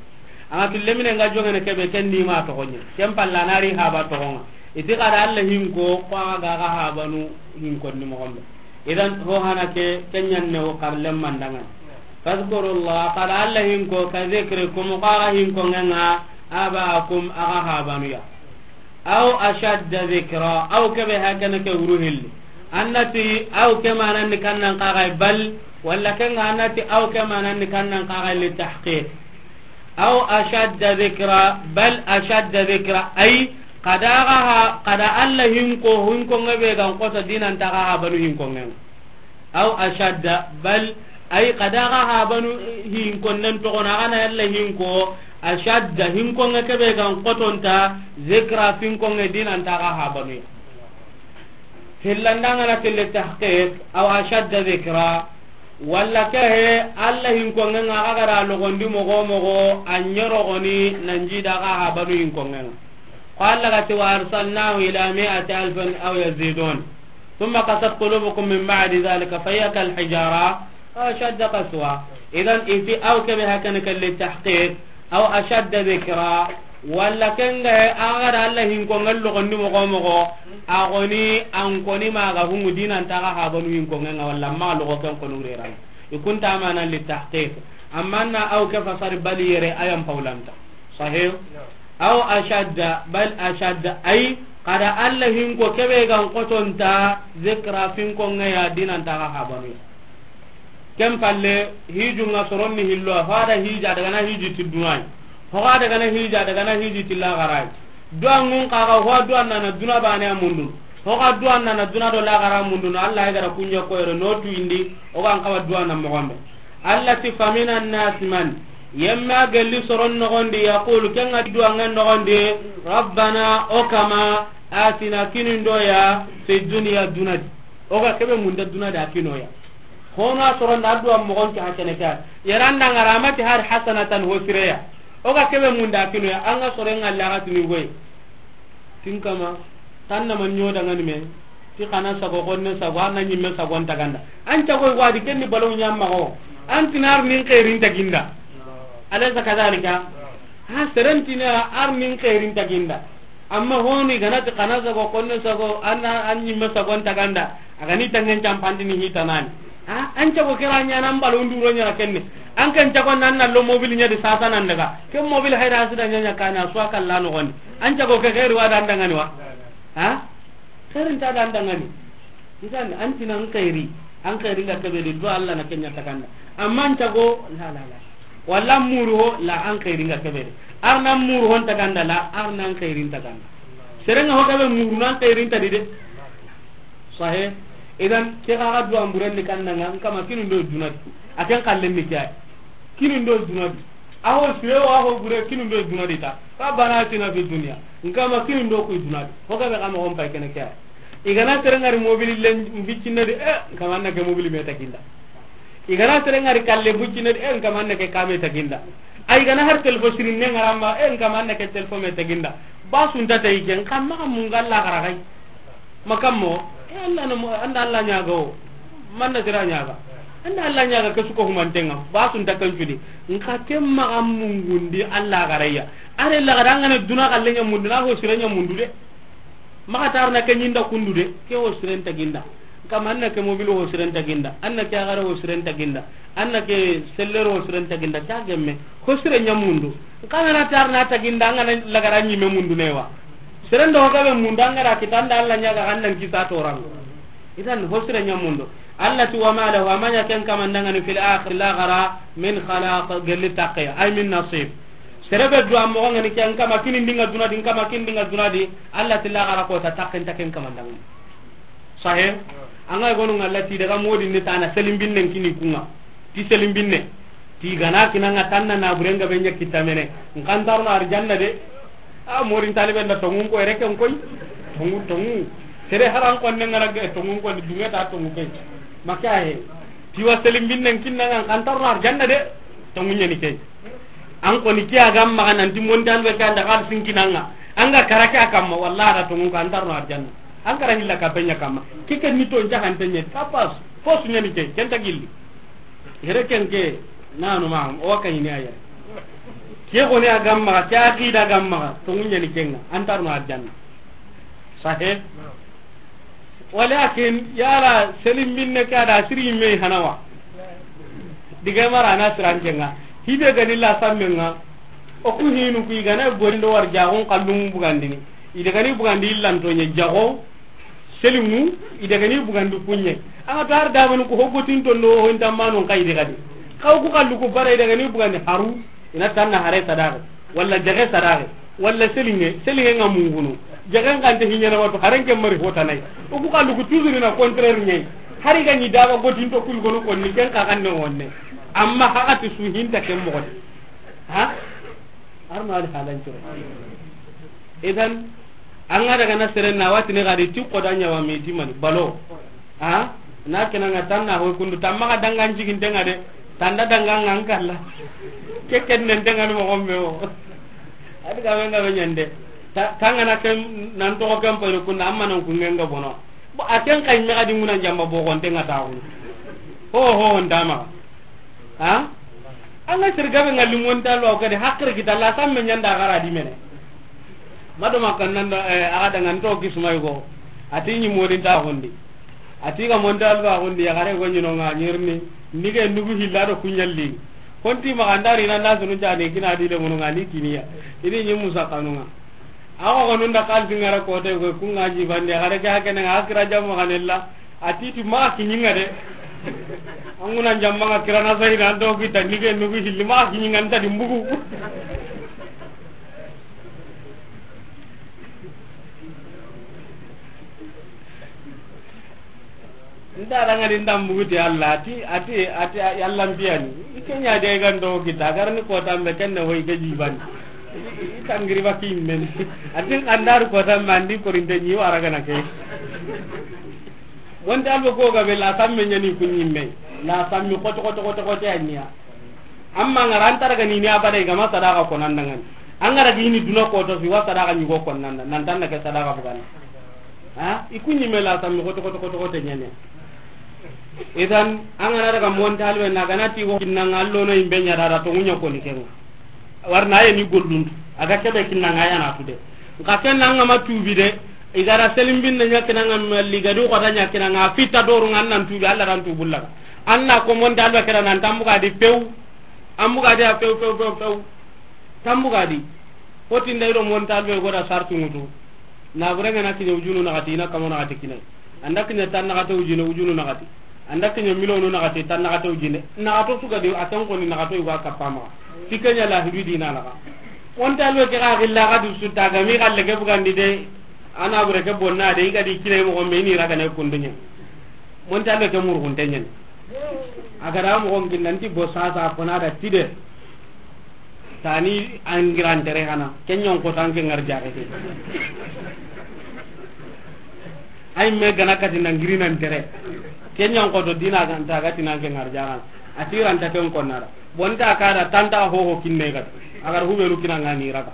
An ga tu leminen ga jongene ke be, ken ni ma toxo ɲa. Ken palla na ri haba toxon ŋa. I ti xa da Alla hinko, xo a ga ga habanu hinkon ni moxon be. Idan, ho hana ke, ken ɲanne wo xarlem mandangan. Fadhkurullah, xa da Alla hinko, ka dhikrikum, xo a ga hinkonŋen ŋa, abaakum, a ga habanu ya. Aw ashadda dhikra, aw ke be hakana ke wuru hilli. An na ti, aw ke manan ni kannan kaga bal, walla ken ŋa an na ti, aw ke manan ni kannan kaga li tahqiq. Aw ashadda dhikra, bal ashadda dhikra, ay, xa da ga ha, xa da Alla hinko, hinkonŋe be ga n xoto dinan ta ga habanu hinkonŋen. Aw ashadda, bal, ay, xa da ga habanu hinkonnen toxono, a ga na Alla hinko, ashadda, hinkonŋe ke be ga n xoto nta, dhikra, hinkonŋe dinan ta ga habanu ya. Hillanda ŋa na ti li tahqiq, aw ashadda dhikra, walla ke he, Alla hinkonŋen ŋa a ga da logondi moxo moxo, a ɲorogoni nan ji da ga habanu hinkonŋen ŋa. Ko Alla ga ti, wa arsalnahu ila mi'ati alfin aw yazidun. Thumma qasat qulubukum min ba'di dhalika fahiya kal hijara aw ashadda qaswa. Idan, i ti aw ke be hakana ke li tahqiq, aw ashadda dhikra, walla ken ŋa he, a ga da Alla hinkonŋen logondi moxo moxo, a goni an koni ma ga hungu dinan ta ga habanu hinkonŋen ŋa, walla ma logo ken konu reran. I kun ta manan li tahqiq. Amma na aw ke fasari bal yere, ayan pawlanta. Sahih? Aw ashadda, bal ashadda, ay, xa da Alla hinko ke be ga n xoto nta, dhikra, hinkonŋe ya dinan ta ga habanu ya. Ken palle, hijun ŋa soron ni hillo, ho a da hija daga na hiji ti dunay. Ho a daga na hija daga na hiji ti lagaray. Duwanŋun xa ga, ho duwan na na duna bane a mundun. Ho ga duwan na na duna do lagara mundun. Alla ya ga da kunya ko yere no tu indi, o ga n xawa duwan na moxon be. Alla ti, faminan nasi man, yemme a gelli soron noxondi, yaqulu, ken ŋa ti duwanŋen noxondi, rabbana, o kama, atina, kini n do ya, fi dunya, duna di. O ga ke be munda duna di, a kini o ya. Hono a soron da duwan moxon ke hakene ke. Yere an da ŋa ra ma ti hari hasanatan, ho sire ya. O ga ke be munda, a kini o ya. An ga soron ŋa laga tini goy. Tin kama, tan na man ɲo dangani me, ti xana sago, xonne sago, an na ɲimme sago n taganda. An cagoy wadi ken ni balaw ɲa maxa wo. An ti na ar nin xeerin taginda. Alaysa kadhalika? Ha, seren ti na ar nin xeerin taginda. Amma honi ga na ti xana sago, xonne sago, an na, an ɲimme sago n taganda. A ga ni tangen campandi ni hitanani. Ha, an cago ke ra ɲaana, an balo nduro ɲaana kenne. An kan cago nan na lo mobili ɲa di sasa nan daga. Ke mobili hayra sida ɲaɲa kana suwa kalla no gondi. An cago ke xeeri wa dan dangani wa. Ha? Xeeri nta dan dangani. Ntan an tina an xeeri. An xeeri nga kebe di do Allah na kenya takanda. Amma an cago la la la. Walla muru ho la an xeeri nga kebe di. Arna muru hon takanda la, arna an xeeri takanda. Serenga ho kebe muru nan xeeri ta di de. Sahe. Idan ke ga ga duwa mburen ni kannanga, nkama kinu ndo dunadi. Aken kallen ni kiyai. Kinu ndo dunadi. Aho siyo aho bure kinu ndo dunadi ta. Rabbana atina fid dunya. Nkama kinu ndo ku dunadi. Hoga be kama on pay kene kiyai. Igana serengari mobili len biccinadi, eh, nkama anna ke mobili me taginda. Igana serengari kalle biccinadi, eh, nkama anna ke kame taginda. Ay igana har telefo sirin ne ngaramba, eh, nkama anna ke telefo me taginda. Basunta tayi ke, nkama mungalla garagai. Makammo, e Allah no mo, anda Allah ɲaga o, manna sira ɲaga. Anda Allah ɲaga ke suko humantenga, basun ta kancudi. Nka ke maga mungundi Allah garaya. Are la gara ngana duna kalle ɲa mundu, na ho sira ɲa mundu de. Maga tarna ke ɲinda kundu de, ke ho siren taginda. Nka manna ke mobile ho siren taginda, anna ke agara ho siren taginda. Anna ke sellero ho siren taginda, ta gemme. Ho sire ɲa mundu. Nka ngana tarna taginda, ngana lagara ɲime mundu newa. Seren do gabe mundu, angara kitanda Allah ɲaga, annan kisa torang. Idan ho sire ɲa mundu. Allah ti wa ma lahu, amanya ken kamandangani fil akhir, lagara, min khalaq, gelli takke, ay min nasib. Sere be du ammo ngani ken kama kini ndinga dunadi, kama kini ndinga dunadi, Allah ti lagara ko ta takken takken kamandangani. Sahe, anga gonu ngalla ti daga modi ni tana selimbinne kini kunga. Ti selimbinne. Ti gana kinanga tanna na burenga benya kitamene. Nkantarno arjanna de. A morin talibe nda tongun ko ereke nkoy. Tongu, tongu. Sere haran konne ngara ge tongun ko dunga ta tongu pe. Maka he. Ti wa selimbinne kinnanga nkantarno arjanna de. Tongu nyani ke. An koni kiya gam maga nanti montal be kanda kal sinkinanga. Anga karake akamma wallahi ra tongu ko antarno arjanna. An kara hilla ka benya kamma. Kike ni to njahan tenye. Kapas. Fo su ɲani ke, ken ta gilli. Yere ken ke, nanu ma, o wa kayini a yere. Ke goni a gamma, ke aqida gamma, to ŋuɲani kenga, antarno arjanna. Sahe? Walakin, yala, selim binne ke ada siri me hanawa. Diga mara na siran kenga. Hibe gani la sammenga. O ku hinu ku igana gorindo war jagon kallum bugandini. Ida gani bugandi illanto ɲe jago. Selimu, i dagani bugandi kuɲe. Anga to har dabanu ko hogotin to ndo ho inta manon kai de gadi. Kaw ku kallu ku bara i dagani bugandi haru, ina tanna hare sadare, walla jage sadare, walla selinge, selinge nga mungunu. Jage nga nte hinyana wato haren ke mari hota nai. O ku kallu ku tuzuri na contraire nyai. Hari ga ni daga gotin to kul gono ko ni ken ka kan ne wonne. Amma haka ti su hinta ken mo. Ha? Arno ali halan curo. Idan, an ga daga na seren na wati ne gadi ti ko da ɲawa me ti mani balo. Ha? Na kena nga tanna ho kundu tamma ga dangan jigin tenga de. Tanda dangan nga an kalla. Ke ken nen tenga ni mo gombe o. Adi ga wenga be ɲande. Ta-, tanga na ken nan to ko ken pa kundu amma nan ku ngenga bono. Bo a ken kay me gadi nguna jamba bo gon tenga ta hu. Ho ho ndama. Ha? Anga sirgabe ngalli monta lo kadi hakkere kita la samme ɲanda gara di mene. Mado makan nan da, eh, aga daga nto kismay go. Ati ni modin ta gondi. Ati ga monta lo gondi ya gare go ni no nga nyirni. Nige nugu hilla do kuɲalli. Konti ma andari nan da sunu jani kina di le munu ngani kiniya. Ini ni musa kanunga. Awa gonun da kalbi ngara ko te ko kunga ji bande gare ga kene akira jamma kanella. A ti ti ma kiɲinga de. An guna jamma nga kirana sai na do kita nige nugu hilli ma kiɲinga nta di mbugu. Nda ranga di ndam bugu ti Allah, ati, ati, ati, Allah mbiyani. Ikenya de gando kita, garni ko tambe kenne hoy ke jiban. Itangiri bakin men. Ati andar ko tambe andi ko rinde ni wara gana ke. Wonta albo ko ga be la samme ɲani kunɲimme. La samme koto, koto, koto, koto ya niya. Amma ngara antara ga ni ni abada i gama sadaka ko nan dangan. Angara ga ini duna ko to fi wa sadaka ni go ko nan nan tan ke sadaka bugan. Ha? I kunɲimme la samme koto, koto, koto, koto ɲane. Idan angara daga monta albe na gana ti go kinna ngallo no imbe ɲa dara to ŋuɲa ko ni kenga. Warna ye ni golluntu. Aga kebe kinna nga yana tude. Nka ken nan nga ma tubi de. Igara selim binne ɲa kinanga liga du ko da ɲa kinanga fita doru ngan nan tubi Allah ran tubullaga. An na ko montalbe kera nan tambuga di pew. An buga di a pew, pew, pew, pew. Tambuga di. Fo ti nda i do montalbe go da sartu ŋutu. Na bure ŋa na kiɲe wujunu naxati, i na kamo naxati kine. An da kiɲe tan naxate wujine, wujunu naxati. An da kiɲe miliyonu naxati, tan naxate wujine. Naxato su ga di, a tan koni naxato i wa kappa maxa. Ti ke ɲa lahidu di na naxa. Montalbe ke ga xilla ga du su ta ga mi xalle ke bugandi de. A na bure ke bonna de, i ga di kine moxo me ni raga ne kunduɲe. Montalbe ke murgunte ɲen. A ga da moxo n kinna nti bo sasa ko na da ti de. Tani an girantere hana. Ke ɲa n ko tan ke ŋar jaxe ke. Ay me gana kati na ngiri nan tere. Ke ɲa n ko to dina ga nta ga ti nan ke ŋar jaxana. A ti ranta ken ko na da. Bonta ka da tanta ho ho kinne ga. A ga hubenu kina ŋa ni raga.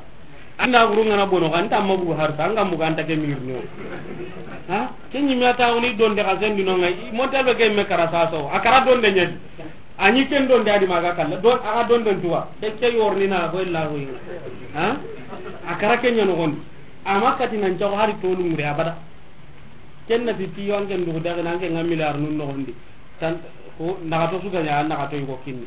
Anda guru ŋa na bono kan ta magu har ta ŋa mu kan ta ke mirno. Ha? Ke ni mi ata woni don de ka sendi no ŋa. Montalbe ke me kara saso. A kara don de ɲa. A ɲi ken don de a di maga kalla. Don, a ga don don tuwa. Ke ke yorni na ko illa ko yi. Ha? A kara ke ɲa no gon. Ama kati nan jago hari tolu mure abada. Ken na ti tiyo an ken dugu daga nan ke ŋa milliard nun no gondi. Tan ko naxato su ga ɲa, naxato i go kinni.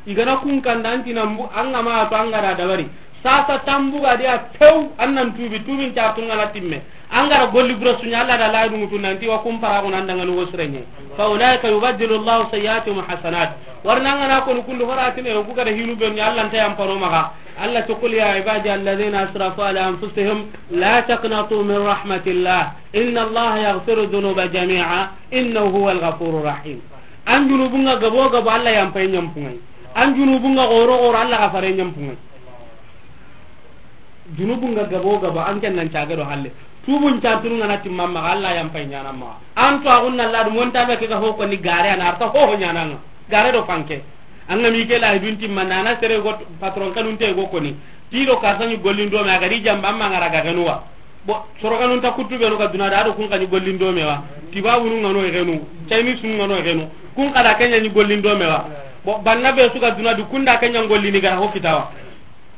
I ga na kun kanda an ti na mbu, an ga ma to an ga da dabari. Sasa tambuga di a pew, an nan tubi, tubin ca tun ŋa na timme. An ga da golli bura su ɲa, Alla da la dun tu nan ti wa kun para ko nan daga no wo sire ɲe. Fa ulaika yubaddilu Allahu sayyiatihim hasanat. Warna an ga na ko kundu horatine ku ga da hinu be ni Alla nta yampano maxa. Alla to, qul ya ibadi alladhina asrafu ala anfusihim la taqnatu min rahmatillah. Inna Allaha yaghfiru dhunuba jami'a, innahu huwal ghafurur rahim. An junubun ŋa gabo gabo Alla yampay ɲampunŋay. An junubun ŋa goro goro Alla gafare ɲampunŋay. Junubun ŋa gabo gabo an ken nan cage do halle. Tubun ca tun ŋa na timma maxa Alla yampay ɲana maxa. An to agun na ladu montalbe ke ga ho ko ni gare ana arta ho ho ɲana ŋa. Gare do fanke. An ga mi ke lahidun timma nana sere go patron kanun te go koni. Ti do ka sani gollin do me a ga di jamba amma ŋa raga ganuwa. Bo, soro kanun ta kuttu be no ga duna da do kun kani gollin do me wa. Tiba wunu ŋa no e genu. Chinese nu ŋa no e genu. Kun kada ke ɲa ni gollin do me wa. Bo, banna be su ga duna du kunda ke ɲa gollini ga ho kitawa.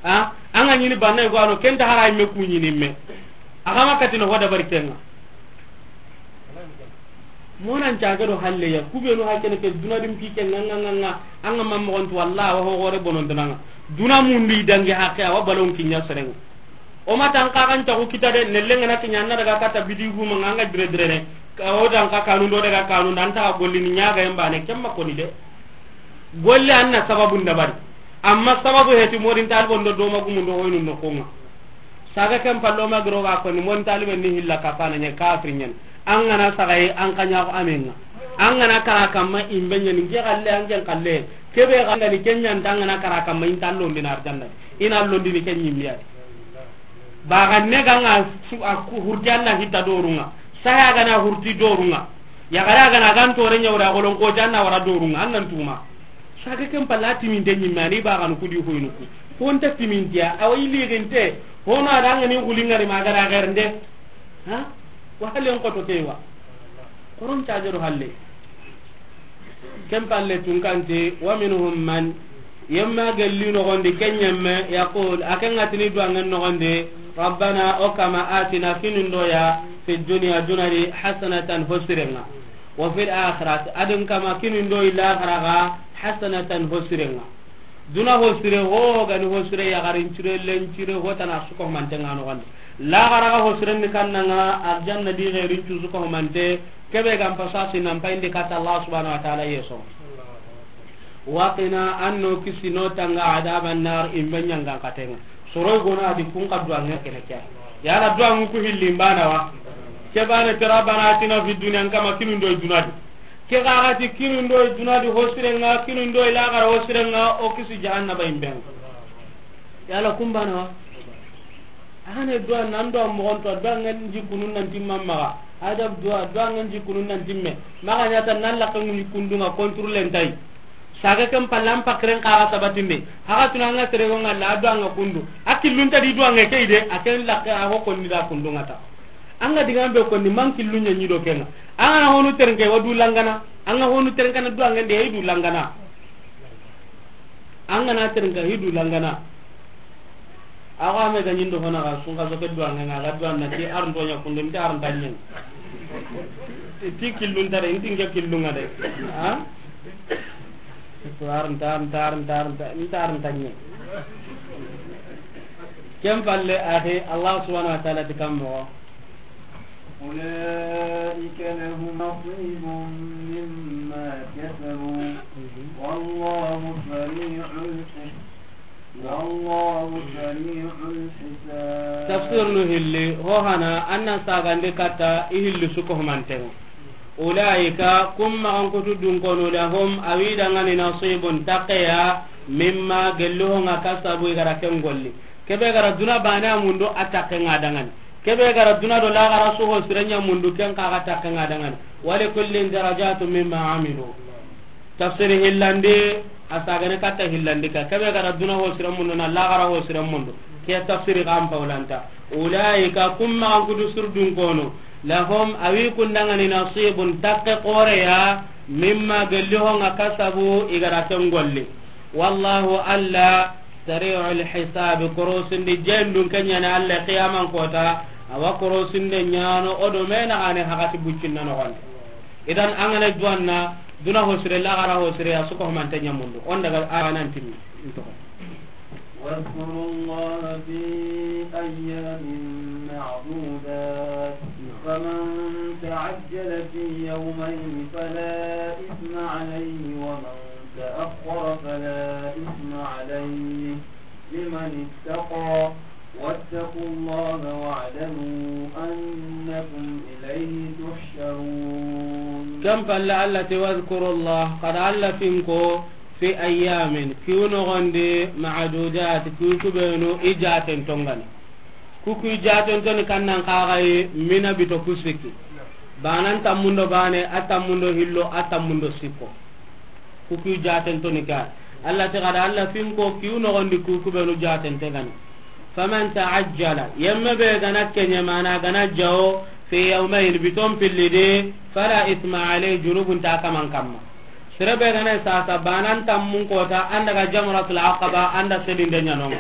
Ha? An ga ɲini banna go ano ken ta hara me ku ɲini me. A ga ma kati no ho dabari ken ŋa. Monan cage do halle ya, ku be no ha kene ke duna dim ki ke ŋa ŋa ŋa ŋa, an ga ma moxon tu wallahi wa ho gore bonon duna ŋa. Duna mundu i dangi hakke a wa balon kiɲa sere ŋa. O ma tan ka kan ta ku kita de, nelle ŋa na kiɲa na daga kata bidi gu ma ŋa ŋa dire dire ne. Ka o dan ka kanu do daga kanu dan ta gollini ɲa ga yamba ne kemma koni de. Golle an na sababu ndabari. Amma sababu heti morin talibon do do ma gumun do hoynu no ko ŋa. Saga ken pallo ma giro ga ko ni mon talibe ni hilla kapana ɲa kafir ɲen. An ga na saga yi an ka ɲa ko amen ŋa. An ga na kara kamma imbe ɲen nge galle an gen kalle. Kebe ga ni ken ɲa nta an ga na kara kamma in tallo ndina arjanna. Ina londi ni ken ɲimmiya. Ba ga ne ga ŋa su a ku hurti Alla hita doru ŋa. Saya ga na hurti doru ŋa. Ya gara ga na gan tore ɲa wara golon ko janna wara doru ŋa. An nan tuma. Saga ken palla timinte ɲimme ani ba ga nu kudi hoynu ku. Ko nta timintiya, awa i liginte, hono a da ŋa ni guli ŋari ma ga da gernde. Ha? Wa halen ko to kewa. Koron cage do halle. Ken palle tun kante, wa minhum man, yemma gelli no gondi ken ɲemme, yaqul, a ken ŋa tini duwangen no gondi, rabbana, o kama, atina, kinundo ya, fi dunya, dunadi, hasanatan, hosirenga. Wa fil akhirati, adin kama kinundo ila garaga hasanatan hosirenga. Duna hosire ho gani hosire ya garin cire len cire ho tana suko mantenga no gande. La garaga hosire ni kannanga arjanna di gairin cu suko mante kebe gam pasasi nan painde kata Allah subhanahu wa ta'ala yeso. Waqina anno kisino tanga adaban nar imbe ɲanga katenga. Soroy gona adi kun ka duwange kene kya. Yala duwangu ku hilli mbana wa. Ke bane tera bana atina fi dunya kama kinundo dunadi. Ke gagati kinundo dunadi hosirenga, kinundo ilagara hosirenga, o kisi jahannaba imbenga. Yala kumbana wa. Ahane duwa nan duwa mogonto duwa ngan jikunun nan timma maga. Adab duwa duwa ngan jikunun nan timme. Maga nyata nan lakka ngun jikundunga contrôle ntai. Saga ken palle an pakiren kaxa sabatindi. Haxa tuna anga serego nga la a do anga kundu. A killunta di do anga key de, a ken lakke a ho konni da kundu nga ta. Anga diga be konni man killu nya nyi do kenga. Anga na honu terenke wa du langana. Anga honu terenka na do anga de du langana. Anga na terenka hi du langana. Awa me ga nyindo hona ga sunga so ke do anga nga ga do anga ti ar do nya kundu ti ar danyen. Ti killunta de, ti nge killunga de. Ha? Tar, tar, tar, tar, tar, tar, tar, tar, tar. Ken palle, axi, Allah subhanahu wa ta'ala ti kammo. أولئك لهم نصيب مما كسبوا، والله سريع الحساب. والله سريع الحساب. Tafsir nu hilli, ho hana, anna sagande katta, i hilli su ko humantengo. Ulaika, kum maxan kutu dunkono, lahum, awi dangani nasibun, taqeya, mimma, gelli ho nga kasabu, i gara ken golli. Kebe gara duna bane a mundu, a taqe nga dangani. Kebe gara duna do laxara su ho sirenya mundu, ken kaga taqe nga dangani. Wa likullin darajatun mimma amilu. Tafsiri hillandi, a sagane katta hillandi ka. Kebe gara duna ho sire mundu na laxara ho sire mundu. Ke tafsiri kan paulanta. Ulaika, kum maxan kutu surdun kono. Lahum, awi kundangani nasibun, taqe qoreya, mimma, gelli ho nga kasabu, i gara ken golli. Wallahu, Allah, sari'ul hisabi, korosindi jendun kenyana Allah qiyaman kota, awa korosinde nyano, odo mena ane hakati buccinna no gonde. Idan, an ga na duwanna, duna ho sire, laxara ho sire, a su ko humante ɲa mundu. On daga a nan timmi. واذكروا الله في أيام معدودات، فمن تعجل في يومين فلا إثم عليه، ومن تأخر فلا إثم عليه، لمن اتقى، واتقوا الله واعلموا أنكم إليه تحشرون. Ken palle Allah ti, واذكروا الله, xa da Allah finko, في أيام, kiyu noxondi, معدودات, kiyu kubenu i jaten tongani. Ku ku jaten toni kannan kaxayi mina bito ku sikki. Banan tammundo bane, a tammundo hillo, a tammundo sikko. Ku ku jaten toni ka. Allah ti xa da Allah finko kiyu noxondi ku kubenu jaten te gani. فمن تعجل, yemme be gana kenye mana gana jawo, في يومين, biton pillidi, فلا إثم عليه, junubun ta kaman kamma. Sere be gana sasa banan tammun kota, an daga Jamratul Aqaba, an da sedinde ɲanonga.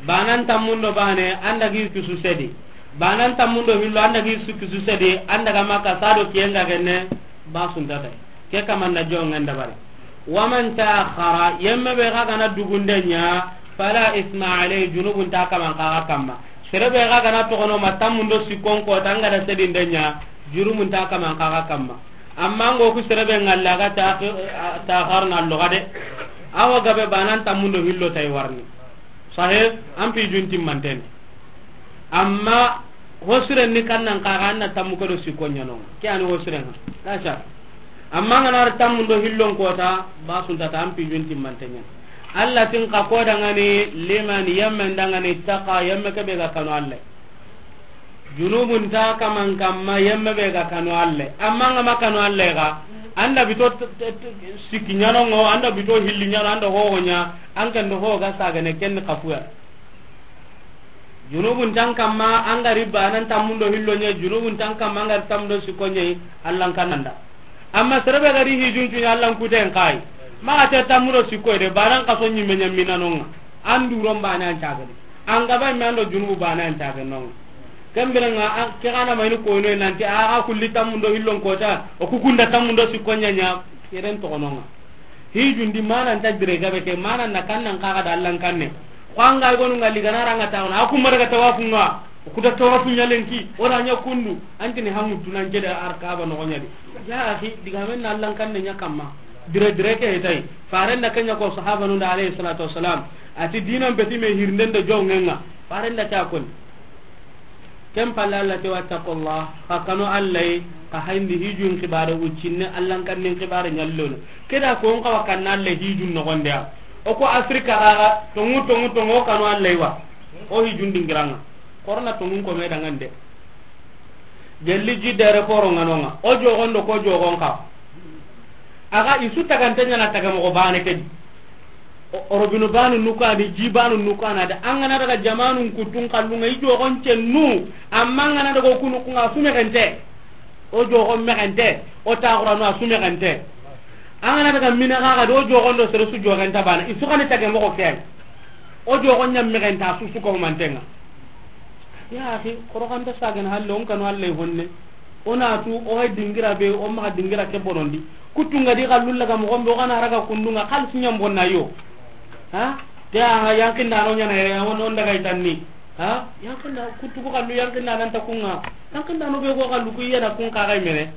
Banan tammundo bane, an dagi kisu sedi. Banan tammundo hillo, an dagi su kisu sedi, an daga Makka sado kiyenga genne, ba suntata. Ke kamanda jongen dabari. ومن تأخر, yemme be ga gana dugunde ɲa, فلا إثم عليه, junubun ta kaman kaga kamma. Sere be ga gana togono ma tammundo sikkon kota, an gada sedinde ɲa, junubun ta kaman kaga kamma. Amma ngo ku sere be ngalla ga ta, ta harna loga de. Awa gabe banan tammundo hillo tay warni. Sahe, an pi junti manten. Amma hosiren ni kannan kaga anna tammu ko do sikko ɲano. Ke ani hosiren ha. La sha. Amma ngana tammundo hillon kota, ba suntata an pi junti manten ɲa. Allah tin ka ko dangani liman yamman dangani taqa yamma ke be ga kanu Allah. Junubun ta kaman kamma yemme be ga kanu Allah. Amma nga ma kanu Allah ga, an da bito t-, t-, t-, sikki ɲanongo, an da bito hilli ɲano, an da hoho ɲa, an ken do ho ga sagane ken kafuya. Junubun tan kamma, an ga ri banan tammundo hillo ɲa, junubun tan kamma, an ga ri tammundo sikko ɲa, Allah kananda. Amma sere be ga ri hijun cuɲa, Allah kuten kai. Ma ga te tammundo sikko de, banan kaso ɲimme ɲa minanonga. An duron bane an cagadi. An gaba me an do junubu bane an caga non. Kembere nga an ke gana mayni ko no nanti a ga kulli tammundo hillon kota, o ku kunda tammundo sikko ɲa ɲa, keren to nonga. Hijundi mana nta dire gabe ke mana na kannan kaga da Allah kanne. Ko anga gonu ngali gana ranga tawna, aku mara ga tawafunga. Ku da tawafu ɲa lenki, o ra ɲa kundu, antini hamu tunan jeda arkaba no ɲa di. Ya akhi, diga men na Allah kanne ɲa kamma. Dire dire ke hetay. Farenda kenya ko sahaba nunda alayhi salatu wassalam. Ati dinan beti me hirnden do jongenga. Farenda ta kon. Ken palle Allah te wattaqullah. Ka kanu Allah, ka hayndi hijun kibare uccinne, Allah kannin kibare ɲallono. Keda ko on kawa kan Allah hijun no gonde. O ko Afrika ga tongu, tongu, tongu kanu Allah wa. O hijun dingiranga. Korona tongun ko me dangande. Gelli jidda aéroport ŋanonga. O jogondo ko jogon ka. Aga isu tagante ɲana taga mogo bane kedi. O-, orobinu banu nukani, ji banu nukana da. An gana daga jamanun kutun kallunga i jogon cennu. Amma an gana daga kunu kunga su megente. O jogon megente. O taxuranu a su megente. An gana daga mina kaga do jogon do sere su jogenta bana. Isu kani taga mogo ken. O jogon ɲam megenta su su ko mantenga. Ya akhi, koroganta sagana halle, on kanu Allah honne. O na tu, o hay dingira be, o maxa dingira ke bonondi. Kuttu nga di xallu laga moxo be, o ga na raga kundu nga xalisi ɲa n bonna yo. Ha? Te a yankinda no ɲa na yere, on, on daga i tanni. Ha? Yankinda kuttu ku xallu yankinda nan ta ku nga. Yankinda no be go xallu ku yana kun ka ga i mene.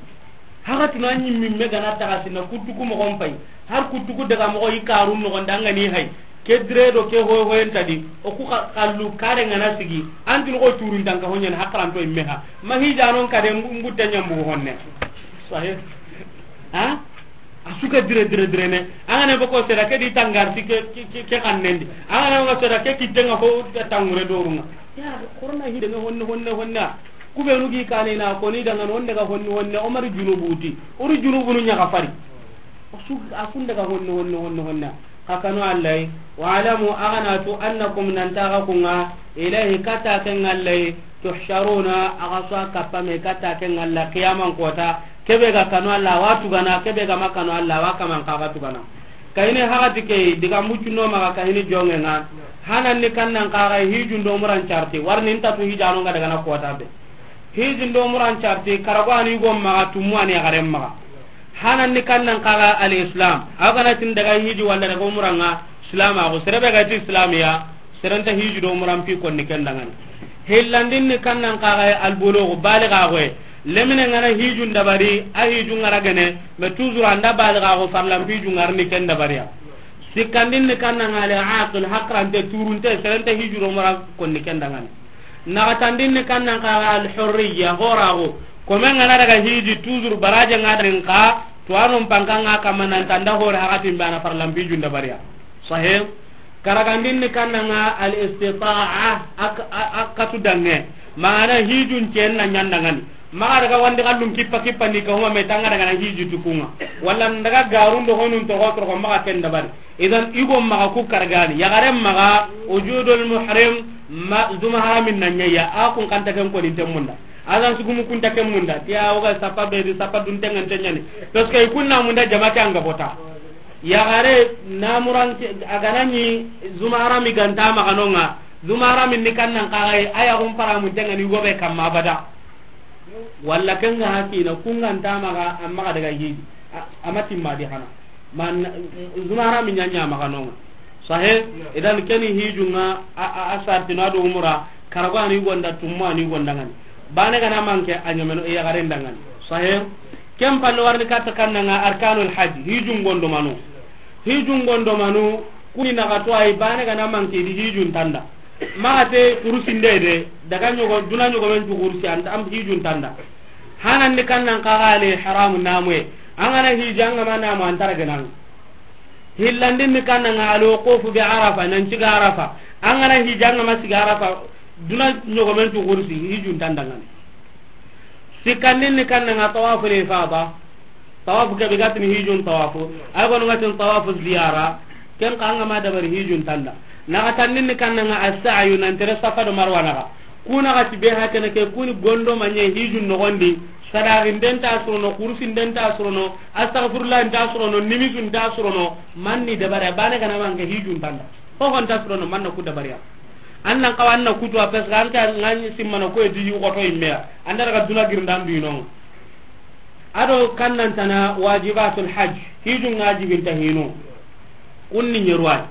Haga tuna ɲimmi me ga na taga sina kuttu ku moxo n pay. Har kuttu ku daga moxo i karu noxon da nga ni hay. Ke dire do ke hoy hoyen ta di, o ku xa-, xallu kare nga na sigi, an tun ko turun tan ka honyen hakran to imme ha. Ma hija non kade mbu-, mbutte ɲambu honne. Sahih. Ha? A su ka dire, dire, dire ne. An ga na boko sera ke di tangar si ke, ke, ke, ke xannen di. An ga na boko sera ke kitten nga ho tangure dorunga. Ya, korona hide nga honne, honne, honne. Ku be nu gi kane na ko ni daga honne ga honne, honne. O mari junubu ti. O ri junubu nu ɲa ga fari. O su, a kun daga honne, honne, honne, honne. Xa kanu Allah yi, wa'lamu, a ga na tu, annakum, nan ti xa ku nga, ilayhi, kata ke nga Allah yi, tuhsharuna, a ga su a kappa me kata ke nga Allah, qiyaman kota, ke be ga kanu Allah, wa tugana, ke be ga ma kanu Allah, wa kaman xa ga tugana. Kahini hagati ke, diga muccu no maga kahini jonge nga, hanan ni kannan xa ga hijun do muran carti, warni nta tu hijano nga daga na kota be. Hijun do muran carti, karago ani go maga, tumu ani garen maga. Hanan ni kannan xa ga al-Islam. Aw ga na tin daga hiji walla daga umra nga Islam, a go sere be ga ti Islam ya, sere nta hiji do umra n pi konni ken dangani. Hillandin ni kannan xa ga al-bulugh, baliga go. Lemine nga na hijun dabari, a hijun nga ra gene, mais toujours anda baliga go farlan hijun nga ra ni ken dabari ya. Sikkandin ni kannan nga al-aqil, hakrante, turunte, sere nta hiji do umra konni ken dangani. Naxatandin ni kannan xa ga al-hurriya, horaxu. Kome nga na daga hiji, toujours baraje nga daga nka, tuwanon panka nga kamma nan tanda hore hakatin bana farlan hijun dabariya. Sahih. Karagandin ni kannan nga al-istita'a, ak-, a-, a-, katu dange. Mana hijun cen na ɲandangani. Maxa daga wandi xallun kippa kippa ni ka huma me tanga daga na hiji tukunga. Walla n daga garun do honun to hotro ko maxa ken dabari. Idan, i go maxa ku karagani. Yaxaren maxa, wujudul muhrim, ma, zuma haramin na ɲa ya, a kun kanta ken koni ten munda. Adan sugumu kunta ken munda. Tiya o ga sapa be di, sapa dun tengan tenyani. Parce que i kunna munda jama ke anga bota. Yaxare na muran ke, a ga na ni zuma harami ganta maxa no nga. Zuma haramin ni kannan xa ga yi, a ya kun para mun tengani go be kamma abada. Walla ken ga hakina, kun ganta maxa, amma ga daga hiji. A, a ma timma di hana. Man, zuma harami ɲa ɲa maxa no nga. Sahih. Idan keni hijun nga, a, a, a sartina do umra, karago ani gonda, tumu ani gonda ngani. Bane ga na manke a ɲameno, e yaxaren dangani. Sahih. Ken palle warni katta kannan nga arkanul hajj, hijun gondo manu. Hijun gondo manu, kuni naxatu ay, bane ga na manke di hijun tanda. Maxa te kurusi nde de, daga ɲogo, duna ɲogomen tu kurusi, anta am hijun tanda. Hanan ni kannan xa ga al-ihram namuye. An ga na hiji an ga ma namu an tara genan. Hillandin ni kannan nga al-wuqufu bi Arafa, nan ciga Arafa. An ga na hiji an ga ma siga Arafa, duna ɲogomen tu kurusi, hijun tandangani. Sikkandin ni kannan nga tawaful ifada. Tawafu ke be ga tini hijun tawafu. Ay gonu ga tini tawafu ziyara. Ken xa an ga ma dabari hijun tanda. Naxatandin ni kannan nga as-sa'yu, nan tere Safa do Marwa naxa. Kuna ga ti be hakene ke kuni gondo manye hijun noxondi. Sadaxin den ta surono, kurusin den ta surono, astaghfirullah in ta surono, nimisun ta surono. Manni dabari, bane ga na manke hijun tanda. Ho hon ta surono, manna ku dabariya. Annan xawa anna kutu a, parce que an ta ngani simmana ko e di yugo to imme ya. Anda daga duna girndan du ino. Ado kannan tana wajibatul hajj, hijun nga jibinta hinu. Kunni ɲeruwai.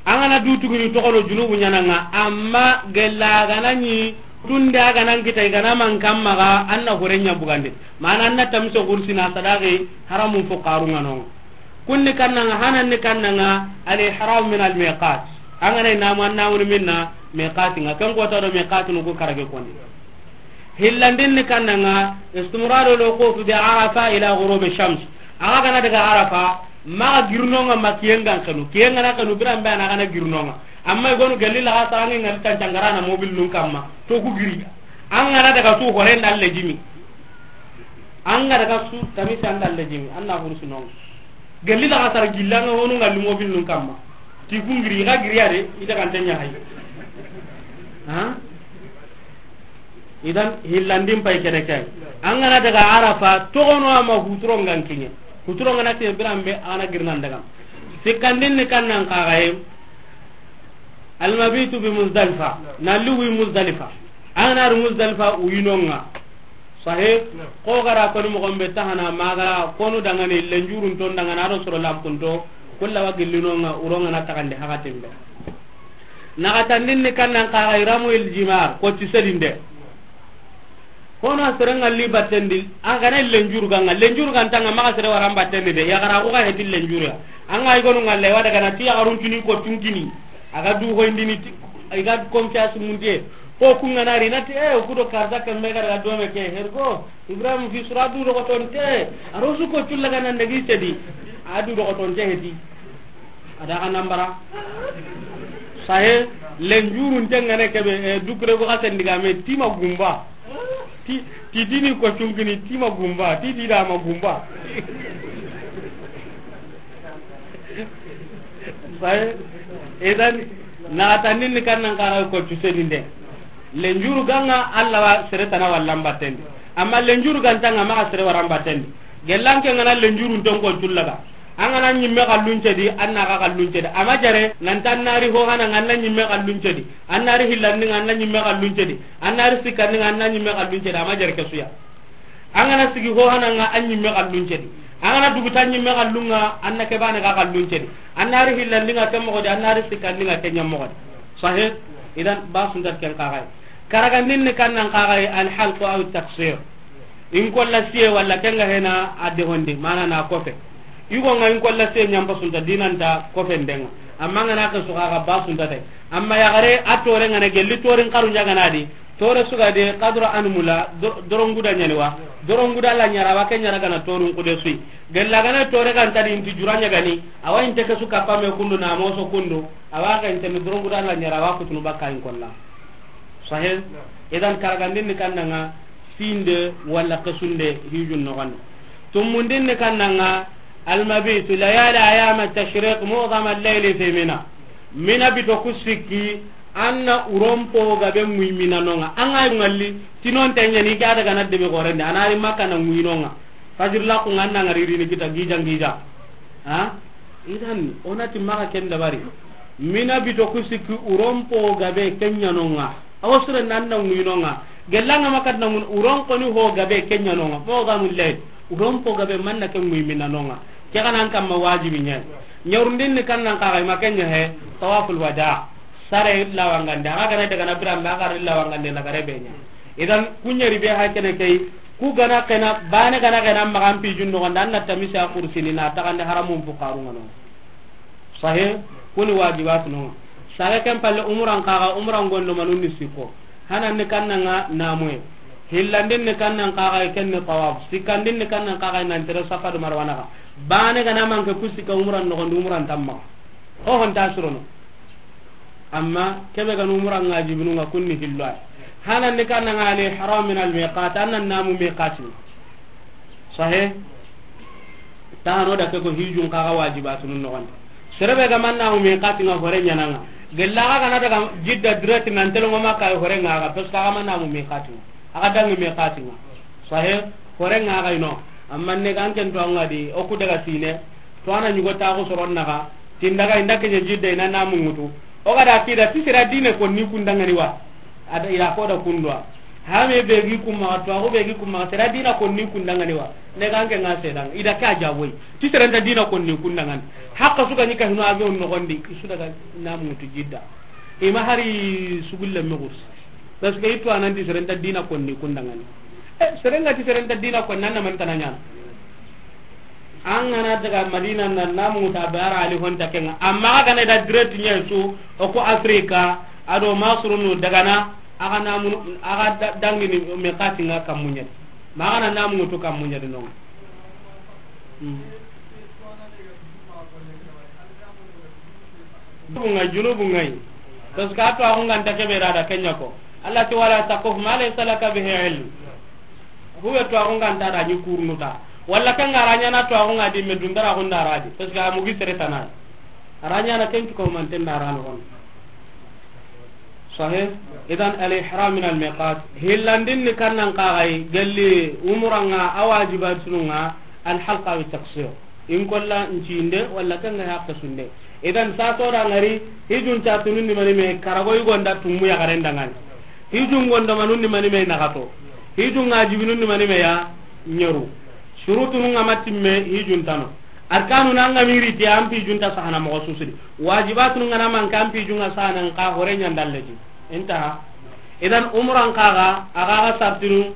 An ga na du tuguni toxono junubu ɲananga, amma gella ga na ɲi tunde a ga nan kita i ga na man kamma ga, anna hore ɲa bugande. Mana anna tamso kursina sadaqi haramun fuqaru nga no. Kunni kannanga, hananni kannanga, al-ihram min al-miqat. An ga na i namu, an namuni minna miqati nga. Ken kota do miqati nu ku karage koni. Hillandin ni kannanga, istimraru al-wuquf bi Arafa ila ghurub ash-shams. A ga na daga Arafa, maxa girnonga ma kiyengan kanu. Kiyenga na kanu biran be a na ga na girnonga. Amma i gonu gelli la ga sarangi ngal tan cangarana mobil nun kamma. To ku giri. An ga na daga tu hore nda lejimi. An ga daga su tamisi an da lejimi. An na hursu non. Gelli la ga sar gillanga honu ngal mobil nun kamma. Ti ku giri ga giri ade ita kan tanya hay. Ha? Idan hillandin pay kene kay. An ga na daga Arafa, togono ama huturo ngan kinye. Huturo ngana te biran be ana girnan daga. Sikkandin ni kannan kagaye. Al-mabitu bi Muzdalifa. Na luwi Muzdalifa. An ga na ri Muzdalifa uyinonga. Sahe, ko gara koni mogon be tahana, magara konu dangani, lenjurun ton dangana, ado soro lampunto, kulla wa gillinonga, uronga na tagande hakatin be. Naxatandin ni kannan kaga iramu il jimar, ko ti sedinde. Kono serenga li battendi, a gana lenjuru ganga, lenjuru gantanga maga sere waran battendi de, ya gara ko ga heti lenjuru ya. Anga igonu ngalle wada gana ti ya garun tuni ko tunkini. Aga du hoyndini ti, iga confiance mundiye. Ko kunga nari nati, eh, kudo karta kambe gara dome ke hergo. Ibrahim fi sura du do tonte. Arosu ko tulla gana ndagi sedi. Adu do tonte heti. Ada ka nambara. Sahe, lenjurun tengane kebe, eh, dukre ko kasen diga me tima gumba. Ti, ti dini ko cungini tima gumba, ti dida ma gumba. Sahe, idan, na tanin ni kannan kara ko cusedinde. Lenjuru ganga Allah wa sere tana wallan battendi. Amma lenjuru gantanga maga sere waran battendi. Gellanke ngana lenjurun ton ko cullaga. An gana ñimme xallunce di, an na xa xallunce di. A ma jare, nan ta nari ho hana nga an na ñimme xallunce di. An nari hillandi nga an na ñimme xallunce di. An nari sikkandi nga an na ñimme xallunce di. A ma jare ke suya. An gana sigi ho hana nga an ñimme xallunce di. An gana duguta ñimme xallunga, an na ke bane xa xallunce di. An nari hillandi nga ke moxo di, an nari sikkandi nga ke ña moxo di. Sahe, idan ba suntat ken xaxay. Karagandin ni kannan xaxay, al halqu aw taqsir. In kolla siye walla kenga hena adde hondi, mana na kofe. Igo nga in kolla siye ñampa sunta dinanta kofe ndenga. Amma nga na ke suka ga ba sunta tay. Amma ya gare a tore nga na gelli torin karu ñaga na di. Tore suga de kadro anmula, do-, doronguda ñani wa. Doronguda la ñara wa ke ñara gana torun kude sui. Gella gana tore ganta di inti jura ñagani. Awa inte ke suka pame kundu na moso kundu. Awa ga inte mi doronguda la ñara wa kutunu bakka in kolla. Sahe? Idan karagandin ni kannanga sinde walla kesunde hijun noxon. Tumundin ni kannanga almabitu layali ayama tashriq mu'zama al-layli fi Mina. Mina bito ku sikki anna urompo gabe muy Mina nonga. Anga ngalli tinon tanyani ga daga na debe gorende anari makana muy nonga. Fajir la ku nganna ngari rini kita gija gija. Ha? Idan, onati maga ken dabari. Mina bito ku sikki urompo gabe kenya nonga. Awa sure nanna nguinonga. Gellanga makat na ngun uron koni ho gabe kenya nonga. Mo ga mulle. Urompo gabe manna ken ngui Mina nonga. Ke kanan kamma wajibi nya. Nyaurundin ni kannan kaga ma kenya he. Tawaful wada. Sare illa wangande. Aga gana daga na biran ba aga illa wangande na gare benya. Idan kunyari be ha kene kai. Ku gana kena, bane gana kena, magan pijun noxon da, an na tamisi a kursini, na taxande haramun fukarun ŋa no. Sahe, kuni wajibat no. Sahe ken palle umuran kaga, umuran gondo manun ni sikko. Hanan ni kannanga namuye. Hillandin ni kannan kaga, ken ni tawaf. Sikkandin ni kannan kaga, nan tere Safa do Marwa naxa. Bane gana manke ku sikka umuran noxon di, umuran tamma. Ho hon ta surono. Amma kebe ganu umura nga jibinu nga kunni hillo ay. Hanan ni kanna nga al ihram min al miqat, annan namu miqati. Sahe? Tano da ke ko hijun kaga wajibatu nun noxon. Serebe ga man namu miqati nga hore ñananga. Gella ga na daga Jidda direct nan telo ngoma kay hore nga ga, parce que ga man namu miqati. Aga dangi miqati nga. Sahe? Hore nga ga ino. Amma ne ga an ken to nga di, o ku daga sine. To ana ñugo taxu soron naxa, tindaga inda keñe Jidda ina namu ŋutu. O ga da kida ti sera dine konni kundangani wa. Ada ila ko da kundwa. Hame be gi kuma, to ago be gi kuma, sera dina konni kundangani wa. Ne ganke nga sedang, ida ka jawoy. Ti sera nta dina konni kundangani. Hakka suka ñi ka hino avion noxon di, isu daga namu ŋutu Jidda. Ima hari sugulle megus. Parce que itu anan ti sera nta dina konni kundangani. Eh, sera nga ti sera nta dina konni, anna man tananya. An gana daga Madina na namu ta bara ali honta kenga. Amma aga na da direct nya su o ko Afrika, ado masrunu daga na, aga namu, aga da-, dangini me katinga kamunya. Ma aga na namu to kamunya de non. Hmm. Bunga junubu ngai. Parce que ato agun ganta kebe da kenya ko. Allah ti wala taqfu ma laysa laka bihi ilm. Huwe to agun ganta da ni kurnuta. Walla kan garanya na to agun adi me dundara agun da radi. Parce que amugi sere tana. Aranya na kentu ko man tenda rano on. Sahih. Idan al ihram min al miqat. Hillandin ni kannan kagai galli umuranga awajibatun nga al halqa wa taqsir. In kolla ncinde walla kanga hakke sunde. Idan sa to da ngari hijun ta tunun ni mani me karago yugo nda tummu ya garen dangani. Hijun gondo manun ni mani me nagato. Hijun ŋa wajibinun ni mani me ya? Ɲeru. Surutunun ŋa ma timme, hijun nta no. Arkanun ŋa ma ri ti, an hijun nta sahana moxo su su di. Wajibatunun ŋa na manke, an hijun ŋa sahana, nxa hore ɲa nda leti. Intaha. Idan, umran xa ga, a ga ga sartinu,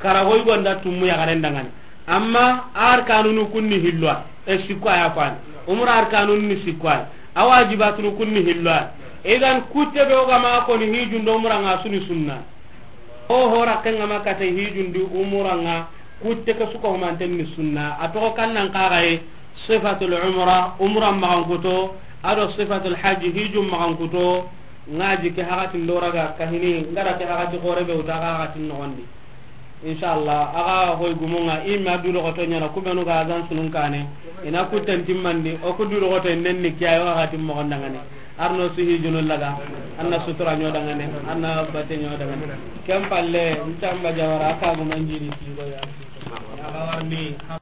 karago yigo nda tumu yaxaren danŋa ni. Amma arkanunu kun ni hillo ya, e, sikko ya fani. Umra arkanun ni sikko ya. A wajibatunu kun ni hillo ya. Idan, kutte be o ga ma ko ni hijun do umran ŋa su ni sunna. O hora ken ŋa ma kate hijun di umran ŋa, kutte ke su ko humanten ni sunna. A toxo kan nan xa ga ye, sifatul umra, umran maxankuto, a do sifatul hajji, hijun maxankuto. Ŋa ji ke hakatin do raga kahini, n ga ra ke hakati xore be wuta ga hakatin noxon di. Inshallah, a ga hoy gumun ŋa, i ma du doxoto ɲaana, ku benu ga azan sunun kane, i na kutten timmandi, o ku du doxoto nden ni kiyayo hakatin moxon danŋa ni. Arno su hijunu laga, an na sutura ɲo danŋa ni, an na bate ɲo danŋa ni. Ken palle, n tamba jawara, a ka guman jidi tigo ya. A ga warni.